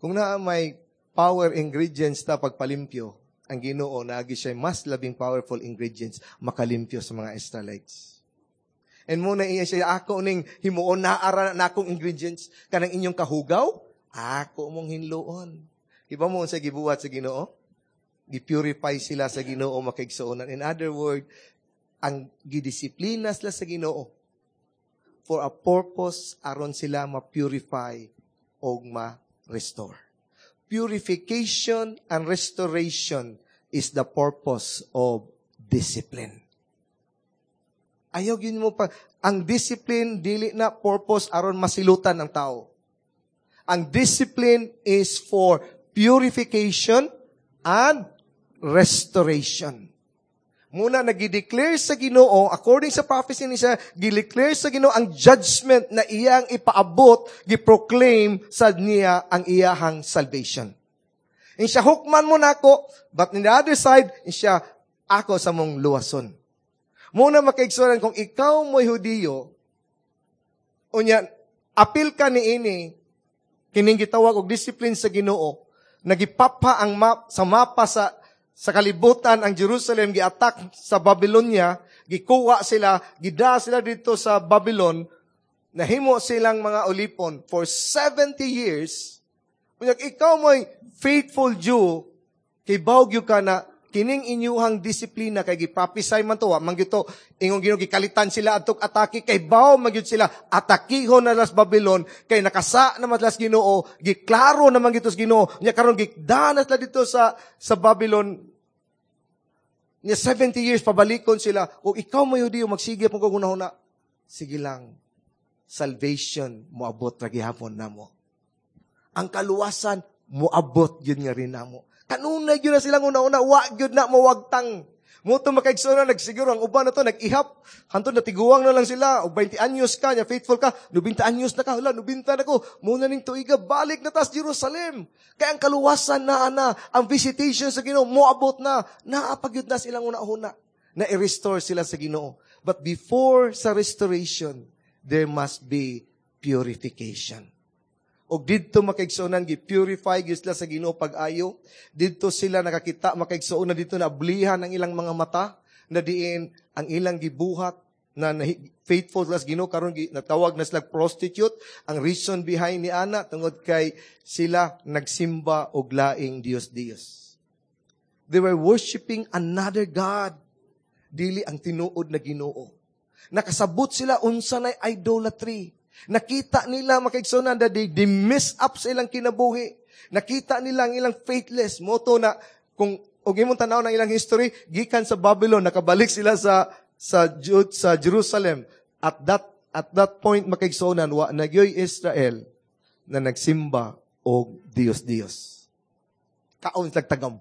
kung naa may power ingredients ta pagpalimpyo, ang Ginoo naagi siya mas labing powerful ingredients makalimpyo sa mga Israelites. And muna iya siya, ako ning himuon na ara na akong ingredients kanang inyong kahugaw, ako mong hinluon. Iba mo sa gibuhat sa Ginoo? Gi-purify sila sa Ginoo, makaigsuonan. In other word, ang gidisiplina sila sa Ginoo for a purpose aron sila ma-purify o ma-restore. Purification and restoration is the purpose of discipline. Ayaw yun mo pa. Ang discipline, dili na purpose aron masilutan ang tao. Ang discipline is for purification and restoration. Muna nagideclare sa Ginoo according sa prophecy ni siya, gideclare sa Ginoo ang judgment na iyang ipaabot, giproclaim sa niya ang iyahang salvation. In siya hukman mo nako, but in the other side, in siya ako sa mong luwason. Muna makaigsuran kung ikaw mo'y Hudiyo, unya, apil ka ni ini, kining gitawag og discipline sa Ginoo, nagipapa ang map, sa mapa sa sa kalibutan ang Jerusalem, giattack sa Babylonia, gikuha sila, gida sila dito sa Babylon, nahimo silang mga ulipon for seventy years. Unya ikaw mo'y faithful Jew, kay gyud ka na kining inyuhang disiplina kay giprophesy man to, wa man gyud to ingon Ginoo gikalitan sila adtong atake kay baw man gyud sila atakihon na las Babylon kay nakasa na man las Ginoo, giklaro na man gyud sa Ginoo nya karon gikdana sila dito sa sa Babylon nya seventy years pabalikon sila. O ikaw mo Hudiyo magsige pong kag hunahuna, sige lang. Salvation moabot ra gihapon namo. Ang kaluwasan moabot gyud nga rin namo. Kanunay gyud na silang una-una, wa gyud na mawagtang. Mao to, makaigsoon, nagsiguro ang uban na to, nag-ihap. Hantod natiguang na lang sila. O twenty anyos ka, nya faithful ka. ninety anyos na ka, hala, ninety na ko. Mao na ning tuiga, balik na tas Jerusalem. Kaya ang kaluwasan na ana, ang visitation sa Ginoo moabot na. Naa pa gyud na silang una-una na i-restore sila sa Ginoo. But before sa restoration, there must be purification. Og didto, makaigsuonan, gi-purify gyud sila sa Ginoo pag-ayo. Didto sila nakakita, makaigsuonan, didto na ablihan ang ilang mga mata na diin ang ilang gibuhat na faithful sila sa Ginoo, karon natawag na sila prostitute. Ang reason behind ni ana tungod kay sila nagsimba og laing Dios-Dios. They were worshiping another God. Dili ang tinuod na Ginoo. Nakasabot sila unsa nay idolatry. Nakita nila, makaigsuonan, that they, they mess up sa ilang kinabuhi. Nakita nila ang ilang faithless. Mao to na, kung og imong tanaw ng ilang history, gikan sa Babylon, nakabalik sila sa sa Jude, sa Jerusalem. At that at that point, makaigsuonan, wa na gyoy Israel na nagsimba og Dios-Dios. Kaon sila tagam.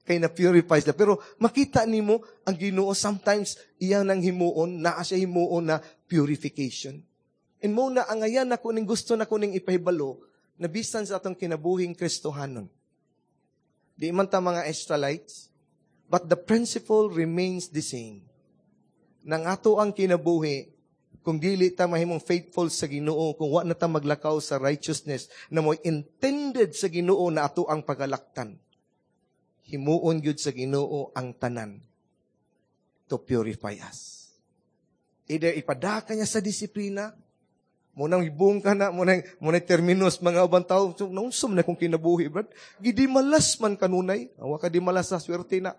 Kay na purify sila. Pero makita nimo ang Ginoo sometimes iyang nang himuon, naa siya himuon na purification. And mao na ang ayan nako ning gusto nako ning ipahibalo na bisan sa atong kinabuhing Kristohanon. Di man ta mga Israelites, but the principle remains the same. Nang ato ang kinabuhi, kung dili ta mahimong faithful sa Ginoo, kung wa na ta maglakaw sa righteousness na mo'y intended sa Ginoo na ato ang pagalaktan, himuon gyud sa Ginoo ang tanan to purify us. Either ipadaka niya sa disiplina, mao nang hibong ka na, mao nang, mao nang terminos mga ubang tao, so, naunsa man na kung kinabuhi, brad. Gidimalas man kanunay. Wa ka di malas sa swerte na.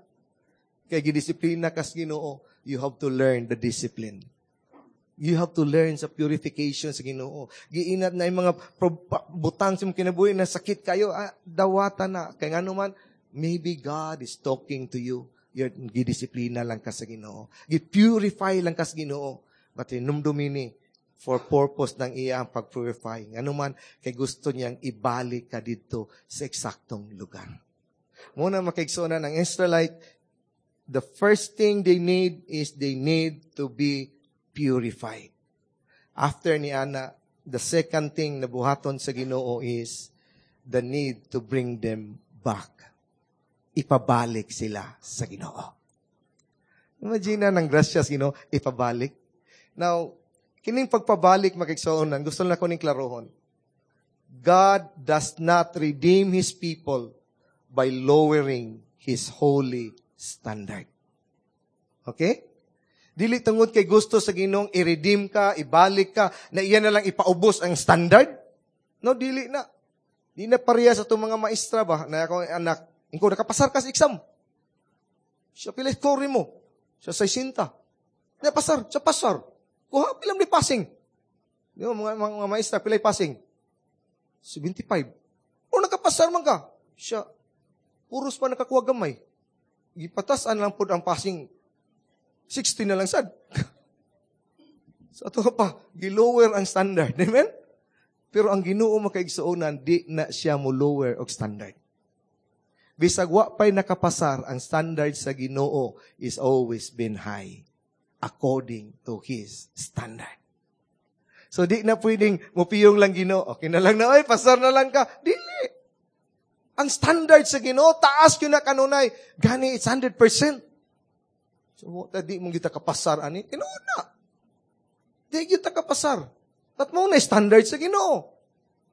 Kay gidisiplina kas Ginoo, you have to learn the discipline. You have to learn sa purification sa Ginoo. Giinat na yung mga butang sa imong kinabuhi na sakit kayo, ah, dawata na. Kay ngano man, maybe God is talking to you. You're, gidisiplina lang ka sa Ginoo. Gi-purify lang ka sa Ginoo. But hinumdumi ni, for purpose ng iya ang pag-purify. Ngano man, kay gusto niyang ibalik ka dito sa eksaktong lugar. Mao na, makaigsuonan, ang Israelite, the first thing they need is they need to be purified. After ni ana, the second thing na buhaton sa Ginoo is the need to bring them back. Ipabalik sila sa Ginoo. Imagine na ng grasya sa Ginoo, ipabalik. Now, kining pagpabalik, makaigsuonan, gusto na ko ning klarohon. God does not redeem His people by lowering His holy standard. Okay? Dili tungod kay gusto sa Ginoong i-redeem ka, ibalik ka, na iya na lang ipaubos ang standard. No, dili na. Di na pareha sa itong mga maestra ba, na ako anak, ingko, nakapasar ka sa exam. Siya pila score mo. Siya sixty. Napasar, siya pasar. Kuha, pila ni passing? Di ba, mga, mga, mga maestra, pila passing? seventy-five. O nakapasar man ka. Siya, puros pa nakakuha gamay. Gipatasan lang po ang passing. sixty na lang sad. Sa ato pa, gilower ang standard. Amen? Pero ang Ginoo, makaigsuonan, di na siya mo lower og standard. Bisag wa pa'y nakapasar, ang standard sa Ginoo is always been high according to His standard. So di na pwedeng mupiyong lang Ginoo. Okay na lang na, ay, pasar na lang ka. Dili. Ang standard sa Ginoo, taas yun na kanunay. Gani, it's one hundred percent. So, di mo kita kapasar, ani. Tinuod na. Di kita kapasar. At mao na standard sa Ginoo.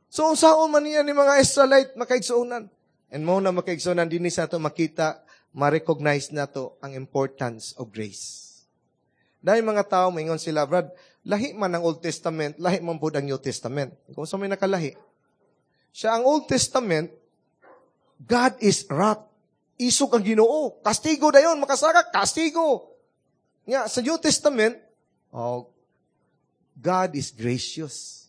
So, unsaon man niya ni mga Israelite makaigsuonan? And mao na, makaigsuonan, dinhi sa ato makita, ma-recognize nato ang importance of grace. Dahil mga tao, maingon sila, "Brad, lahi man ang Old Testament, lahi man pud ang New Testament." Kung sa may nakalahi. Siya ang Old Testament, God is wrath. Isog ang Ginoo. Kastigo dayon, makasaka, kastigo. Nga, sa New Testament, oh, God is gracious.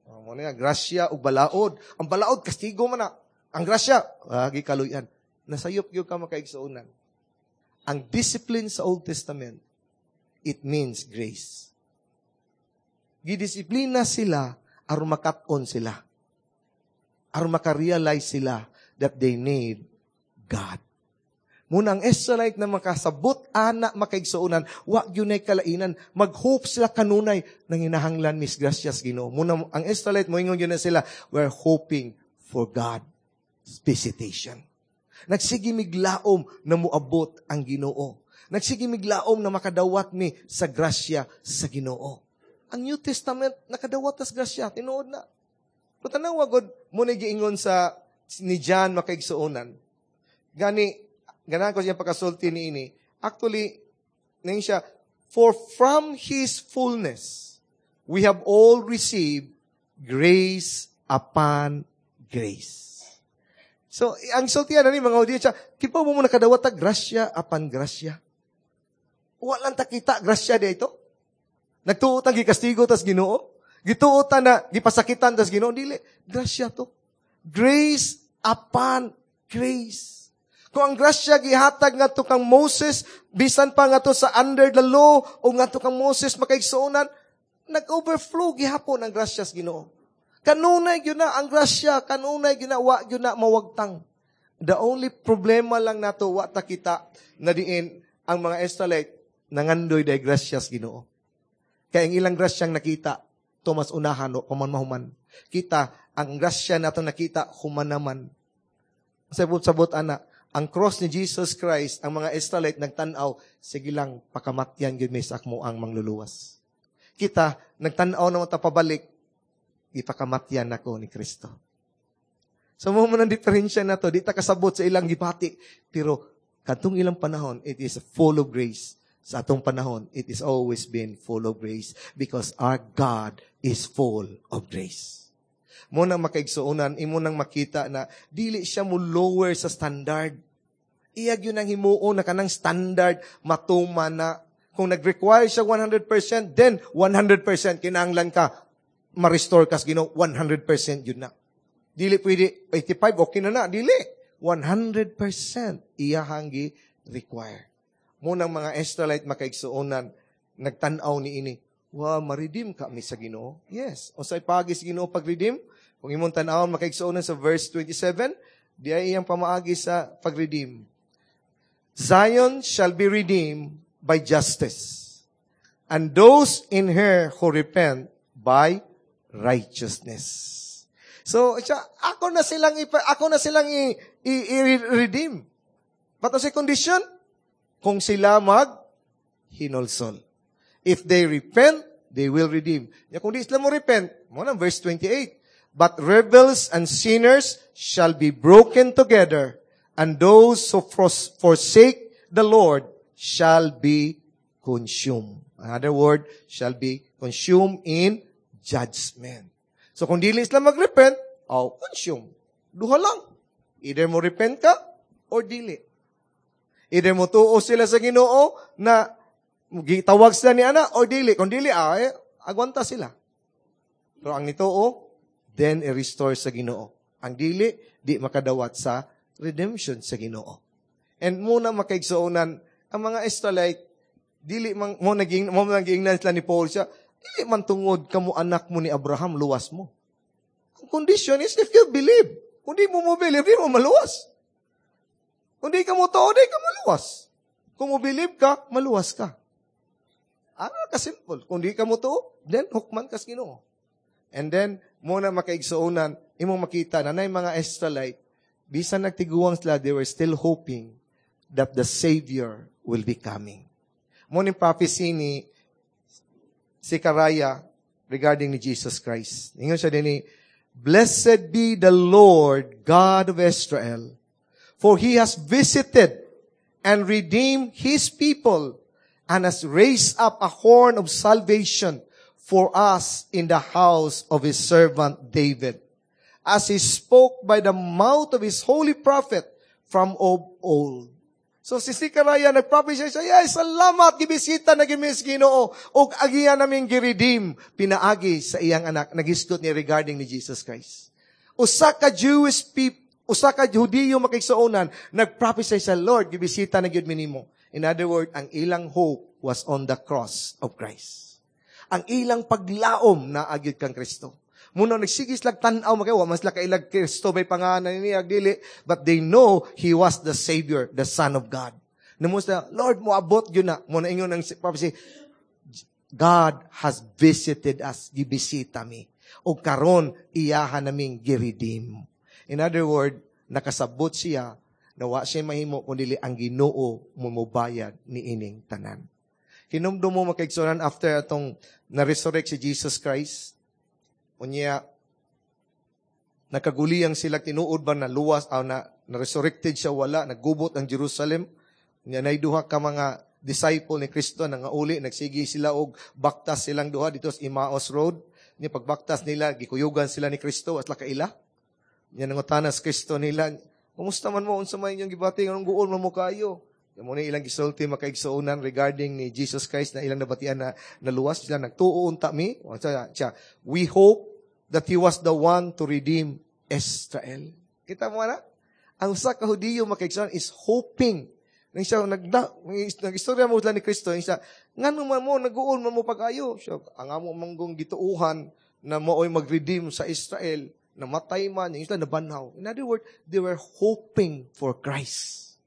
Oh, mao na grasya ug balaod. Ang balaod, kastigo man na. Ang grasya, ah, gikaluyan. Nasayop gyud ka, makaigsuonan. Ang discipline sa Old Testament, it means grace. Gidisiplina sila aron makat-on sila. Aron makarealize sila that they need God. Muna ang Israelite na makasabot ana makaigsuonan, wa gyud kalainan, mag-hope sila kanunay nang hinahanglan mis grasya sa Ginoo. Muna ang Israelite moingon gyud na sila, we're hoping for God's visitation. Nagsige miglaom na muabot ang Ginoo. Nagsige miglaom na makadawat mi sa grasya sa Ginoo. Ang New Testament nakadawat tas grasya, tinuod na. Pero tanawa god mo na giingon sa ni John makaigsuonan. Gani ganahan ko siya pagkasulti ni ini. Actually, ning siya, for from His fullness, we have all received grace upon grace. So, ang sultian na ni mga audiensya, kibaw mo mo nakadawat ta grasya upon grasya. Wala lang ta kita grasya dito. Nagtuo ta gikastigo tas Ginoo. Gituo ta na gipasakitan tas Ginoo dili. Grasya to. Grace upon grace. Kung ang grasya gihatag ngadto kang Moses, bisan pa ngadto sa under the law o ngadto kang Moses makaigsuonan, nag-overflow gihapon ang grasya sa Ginoo. Kanunay gyud na ang grasya, kanunay gyud na wa gyud na mawagtang. The only problema lang nato wa ta kita na diin ang mga Israelite nangandoy day grasya sa Ginoo. Kay ang ilang grasyang nakita, Thomas unahan o paman mahuman. Kita, ang grasya nato nakita, human naman. Sabot-sabot ana, ang cross ni Jesus Christ, ang mga Israelite nagtan-aw, sige lang, pakamatyan gyud mi sa akmo ang mangluluwas. Kita, nagtan-aw naman ta pabalik, ipakamatyan nako ni Kristo. So mo man ang diferensya na to, di ta kasabot sa ilang gipati. Pero kadtong ilang panahon, it is full of grace. Sa atong panahon, it is always been full of grace because our God is full of grace. Mo nang makaigsuonan, imo nang makita na dili siya mo lower sa standard. Iya gyud ang himuon na kanang standard matuman na kung nag-require siya one hundred percent, then one hundred percent kinahanglan ka ma-restore kas Ginoo, one hundred percent yun na. Dili pwede eighty-five okay na na, dili. one hundred percent iyahang gi-require. Munang mga Israelite makaigsuonan, nagtan-aw ni ini, wa ma-redeem ka mi sa Ginoo. Yes. Unsay paagi sa Ginoo pag-redeem? Kung imong tan-awon makaigsuonan sa verse twenty-seven, di ay iyang pamaagi sa pag-redeem. Zion shall be redeemed by justice, and those in her who repent by righteousness. So, siya, ako na silang ipa, ako na silang i, i, i-redeem. But sa condition, kung sila mag hinulsol. If they repent, they will redeem. Ya kung di sila mo repent, mo na verse twenty-eight. But rebels and sinners shall be broken together, and those who forsake the Lord shall be consumed. Another word, shall be consumed in judgment. So kung dili sila mag-repent, oh, consume. Duha lang. Either mo repent ka or dili. Either mo tuo sila sa Ginoo na gitawag sila ni ana or dili. Kung dili, ah, eh, agwanta sila. Pero ang nituo, then i-restore sa Ginoo. Ang dili, di makadawat sa redemption sa Ginoo. And muna makaigsuonan, ang mga Israelite, dili man, mo naging, mo naging sila ni Paul siya, dili man tungod kamo anak mo ni Abraham, luwas mo. Ang condition is if you believe. Kung di mo mo believe, di mo maluwas. Kung di ka mo tuo, di ka maluwas. Kung mo believe ka, maluwas ka. Ano ka simple. Kung di ka mo tuo, then hukman ka sa Ginoo. And then, muna makaigsuonan, imong makita na nay mga Israelite, bisan nagtiguang sila, they were still hoping that the Savior will be coming. Mo ni prophecy ni Zechariah regarding ni Jesus Christ. Ingon siya din ni, "Blessed be the Lord God of Israel, for He has visited and redeemed His people and has raised up a horn of salvation for us in the house of His servant David, as He spoke by the mouth of His holy prophet from of old." So si Zechariah nagprophesy siya, "Yes, salamat, gibisita na gimis Ginoo, ug agiya namin gi-redeem, pinaagi sa iyang anak." Nagisgot niya regarding ni Jesus Christ. Usa ka Jewish people, usa ka Hudiyo makaigsuonan, nagprophesy sa Lord, gibisita na gyud minimo. In other words, ang ilang hope was on the cross of Christ. Ang ilang paglaom naa gyud kang Kristo. Muna nagsige sila tan-aw makay wa man sila kailag Kristo may pangalan niya dili, but they know he was the Savior, the Son of God. Namo sila, Lord, moabot gyud na. Mo na ingon ang prophecy, God has visited us, gibisita mi. O karon iyaha naming gi-redeem. In other word, nakasabot siya na wa siya mahimo kundi ang Ginoo mo mobayad ni ining tanan. Hinumdum mo makaigsunan after atong na-resurrect si Jesus Christ, unya nakaguliyang sila tinuod ba na luwas o na, na-resurrected siya wala, naggubot ang Jerusalem. Unya nay duha ka mga disciple ni Kristo na nga uli, nagsige sila og baktas silang duha dito sa Emmaus Road. Nya pagbaktas nila, gikuyugan sila ni Kristo at kaila. Nya nangutana si Kristo nila, kumusta man mo unsa may inyong gibati nganong guol man mo kayo? Mo ni ilang gisulti makaigsuonan regarding ni Jesus Christ na ilang nabatian na naluwas sila nagtuo unta mi. Siya, we hope that he was the one to redeem Israel. Kita mo na? Ang usa ka Hudiyo makaigsuonan is hoping Nang siya, nagda, nag-istorya mo sila ni Kristo, siya, ngano man mo, nag-uol man mo pag-ayo. Siya, ang amo manggong gituuhan na mao'y mag-redeem sa Israel, namatay man, yung sila nabanhaw. In other words, they were hoping for Christ.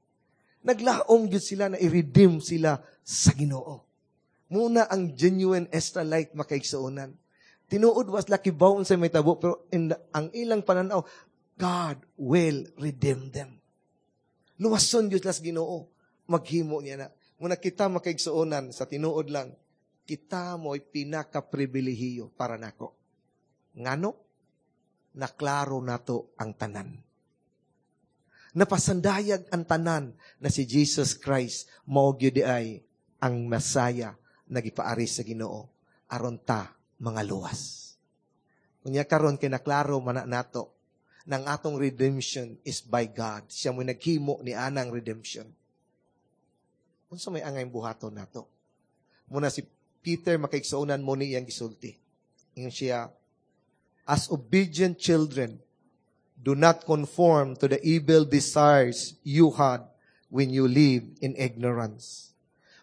Naglaom gyud sila na i-redeem sila sa Ginoo. Muna ang genuine Israelite makaigsuonan. Tinuod was laki baon sa may tabo, pero in the, ang ilang pananaw, God will redeem them. Luwason gyud sila sa Ginoo. Maghimo niya na. Muna kita makaigsuonan sa tinuod lang, kita mo'y pinaka-pribilehiyo para nako. Ngano? Naklaro nato ang tanan. Napasandayag ang tanan na si Jesus Christ mao gyud ay ang Masaya nagipaari sa Ginoo aron ta mga luwas. Unya karon kay naklaro man na nato nang atong redemption is by God. Siya mo naghimo ni anang redemption. Unsa may angay buhaton nato? Muna si Peter makaigsuonan mo ni iyang gisulti. Ingon siya, as obedient children, do not conform to the evil desires you had when you lived in ignorance.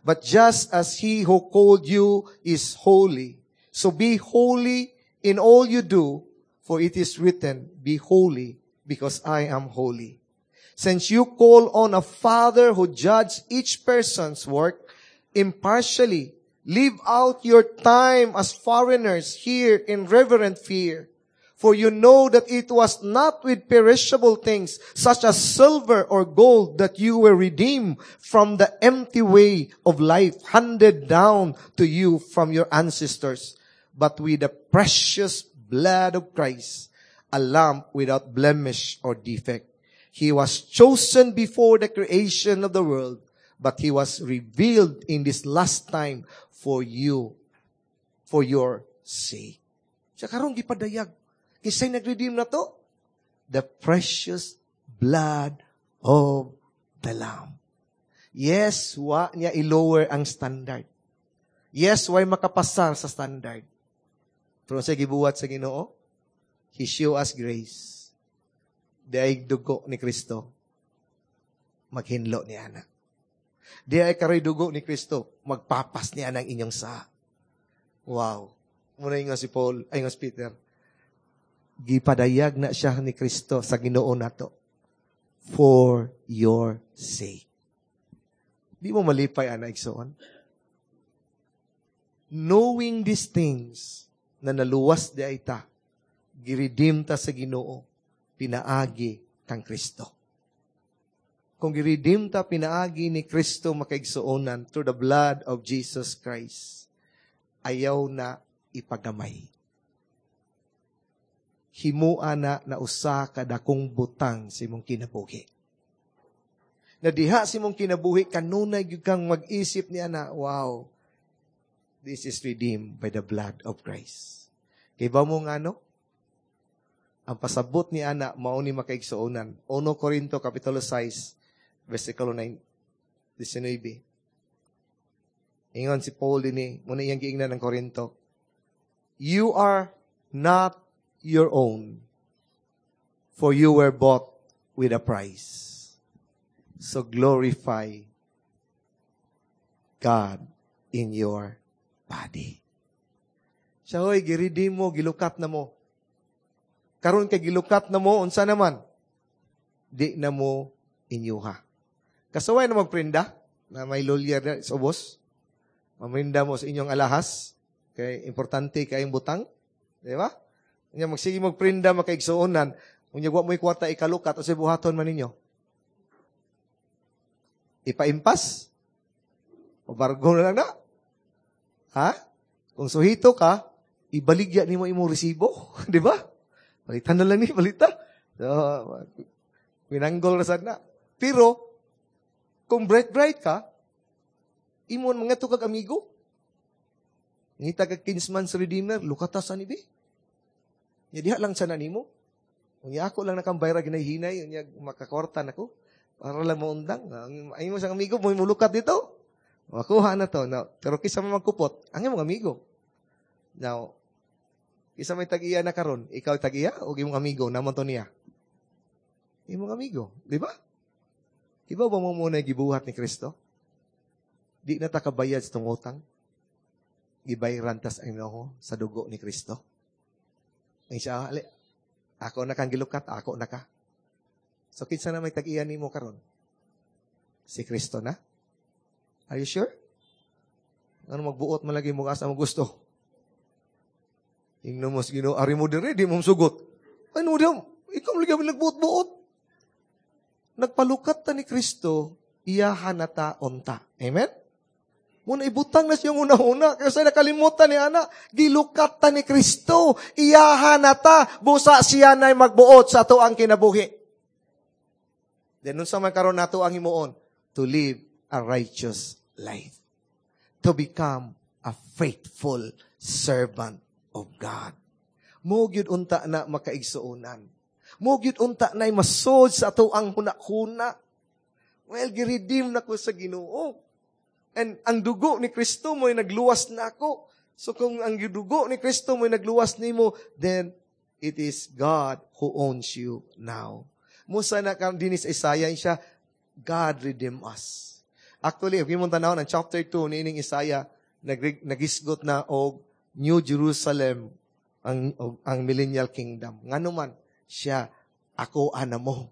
But just as he who called you is holy, so be holy in all you do, for it is written, be holy because I am holy. Since you call on a father who judges each person's work impartially, live out your time as foreigners here in reverent fear. For you know that it was not with perishable things such as silver or gold that you were redeemed from the empty way of life handed down to you from your ancestors, but with the precious blood of Christ, a lamb without blemish or defect. He was chosen before the creation of the world, but he was revealed in this last time for you, for your sake. Sa karon gipadayag, kinsay nag-redeem na to? The precious blood of the Lamb. Yes, wa niya i-lower ang standard. Yes, way makapasar sa standard. Pero sa gibuhat sa Ginoo, He show us grace. Diay dugo ni Kristo, maghinlo ni ana. Diay karoy dugo ni Kristo, magpapas niya ang inyong sa. Wow. Muna nga si Paul, ay nga si Peter, gipadayag na siya ni Kristo sa Ginoo nato for your sake. Di mo malipay, ana, igsoon? Knowing these things, na naluwas di ay ta, giredeem ta sa Ginoo, pinaagi kang Kristo. Kung giredeem ta pinaagi ni Kristo makaigsuonan through the blood of Jesus Christ, ayaw na ipagamay. Himua na na usa ka dakong butang sa imong kinabuhi. Na diha sa imong kinabuhi, kanunay gyud kang mag-isip niya na, wow, this is redeemed by the blood of Christ. Kay ba mo nga no? Ang pasabot ni ana, mao ni makaigsuonan. Uno Korinto, Kapitulo sais, versikulo nine, nineteen. Ingon si Paul dinhi, muna iyang giingnan ng Korinto, you are not your own, for you were bought with a price. So glorify God in your body. Siya hoy, giredeem mo, gilukat na mo. Karon kay gilukat na mo, unsa naman? Di na mo inyuha. Kasuway na magprinda, na may lawyer na sa ubos. Mamrinda mo sa inyong alahas. Kay importante kayong butang. Di ba? Unya magsige magprinda makaigsuonan, unya wa mo'y kwarta ikalukat o sa buhaton man ninyo. Ipaimpas? O bargo na lang na? Ha? Kung suhito ka, ibaligya nimo imong resibo, di ba? Palitan na lang ni, balita. So, winanggol na sad na. Pero, kung bright-bright ka, imon mga to kag amigo. Ngita kag kinsman's redeemer, lukata sa ni be. Nya diha lang sa nimo. Unya ako lang nakambayra ginay-hinay, unya makakwarta nako. Para lang maundang. Ay mo sang amigo, mo mulukat dito. Makuha na to. Now, pero kisa man magkupot, ang imong amigo. Now, kisa may tag-iya na karon, ikaw tag-iya o imong amigo naman to niya? Imong amigo, di ba? Iba ba mo muna gibuhat ni Kristo? Di na ta kabayad sa tong utang. Gibayran tas ang Ginoo sa dugo ni Kristo. Ang siya, ali, ako na kang gilukat, ako na ka. So, kinsa na may tag-iya nimo karon? Si Kristo na? Are you sure? Ano magbuot man lagi mo asa mo gusto? Ingno mo sa Ginoo, ari mo dire, di mo sugot. Ano di ikaw lagi mo nagbuot-buot. Nagpalukat ta ni Kristo, iyahan na ta unta. Amen? Muna ibutang na siyang una-una. Kasi nakalimutan ni Ana, gilukat ta ni Kristo, iyahan na ta, busa siya na'y magbuot sa ato ang kinabuhi. Then, unsa man karon nato ang himuon? To live a righteous life. To become a faithful servant of God. Mo gyud unta na makaigsuonan. Mo gyud unta na masod sa ato ang huna-huna. Well, giredeem na ko sa Ginoo. And ang dugo ni Kristo mo'y nagluwas na ako. So kung ang dugo ni Kristo mo'y nagluwas nimo, then it is God who owns you now. Musa na kam dinis Isaiah siya, God redeem us. Actually, if imong tan-awon ang chapter two niining Isaiah, nag nagisgot na og New Jerusalem ang og, ang millennial kingdom. Ngano man siya ako ana mo.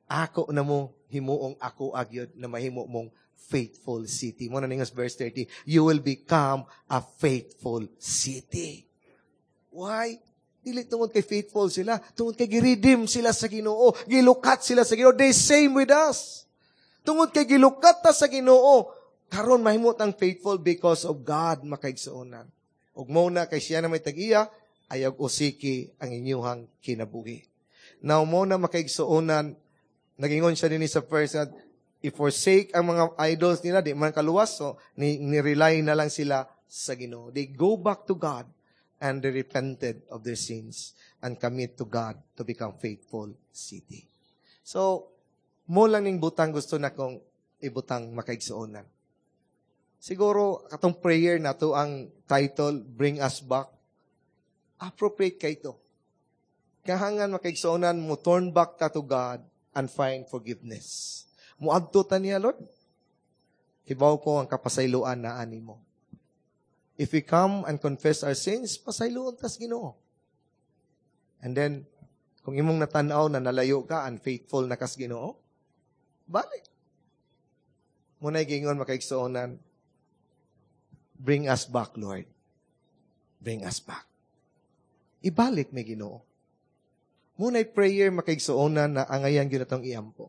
Ako na mo himuong ako agyod na mahimo mong faithful city. Mo na ningas verse thirty, you will become a faithful city. Why? Dili tungod kay faithful sila, tungod kay giredeem sila sa Ginoo, gilukat sila sa Ginoo. They same with us. Tungod kay gilukat ta sa Ginoo, karon mahimo tang faithful because of God makaigsuonan. Ug mo na kay siya na may tag-iya, ayaw usiki ang inyuhang kinabuhi. Now mo na makaigsuonan, nagingon siya dinhi sa first, i-forsake ang mga idols nila, di man kaluwas, so ni, ni-rely na lang sila sa Ginoo. They go back to God and they repented of their sins and commit to God to become faithful city. So, mo lang ning butang gusto na kong ibutang makaigsuonan. Siguro, katong prayer na to ang title, Bring Us Back. Appropriate kay ito. Kahangan makaigsuonan, mo turn back ta to God and find forgiveness. Muadto ta niya, Lord. Hibaw ko ang kapasayloan na ani mo. If we come and confess our sins, pasayloon tas Ginoo. And then, kung imong natanaw na nalayo ka, unfaithful na kas Ginoo, balik. Muna'y gingon makaigsuonan, bring us back, Lord. Bring us back. Ibalik may Ginoo. Muna'y prayer makaigsuonan na angayan gyud atong iampo.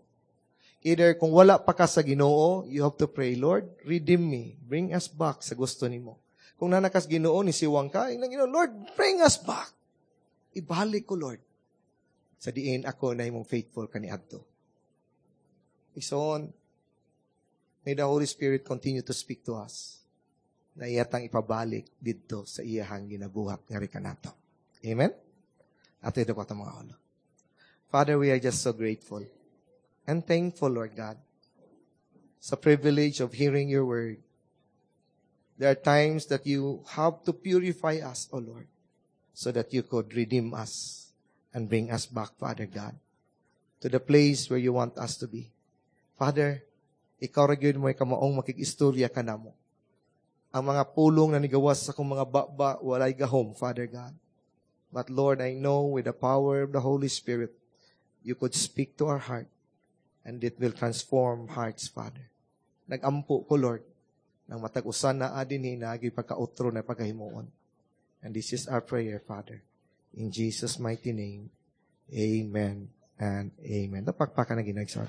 Either kung wala pa ka sa Ginoo, you have to pray, Lord, redeem me. Bring us back sa gusto nimo. Kung nanakas Ginoo ni siwang ka, ingnan Ginoo, Lord, bring us back. Ibalik ko, Lord. Sa diin ako na imong faithful kaniadto. Igsoon, may the Holy Spirit continue to speak to us na iyatang ipabalik didto sa iyahang ginabuhat nga kanato. Amen? Ato ito ko itong mga ulo. Father, we are just so grateful and thankful, Lord God, sa privilege of hearing your word. There are times that you have to purify us, O Lord, so that you could redeem us and bring us back, Father God, to the place where you want us to be. Father, ikaw ra gyud mo kamaong makig-istorya ka namo. Ang mga pulong na nigawas sa akong mga baba, walay gahom, Father God. But Lord, I know with the power of the Holy Spirit, you could speak to our heart and it will transform hearts, Father. Nagampo ko, Lord, nang matag usa naa dinhi naagi pagkautro na pagkahimuon. And this is our prayer, Father. In Jesus' mighty name, amen and amen. Napakpakan na ginagsan.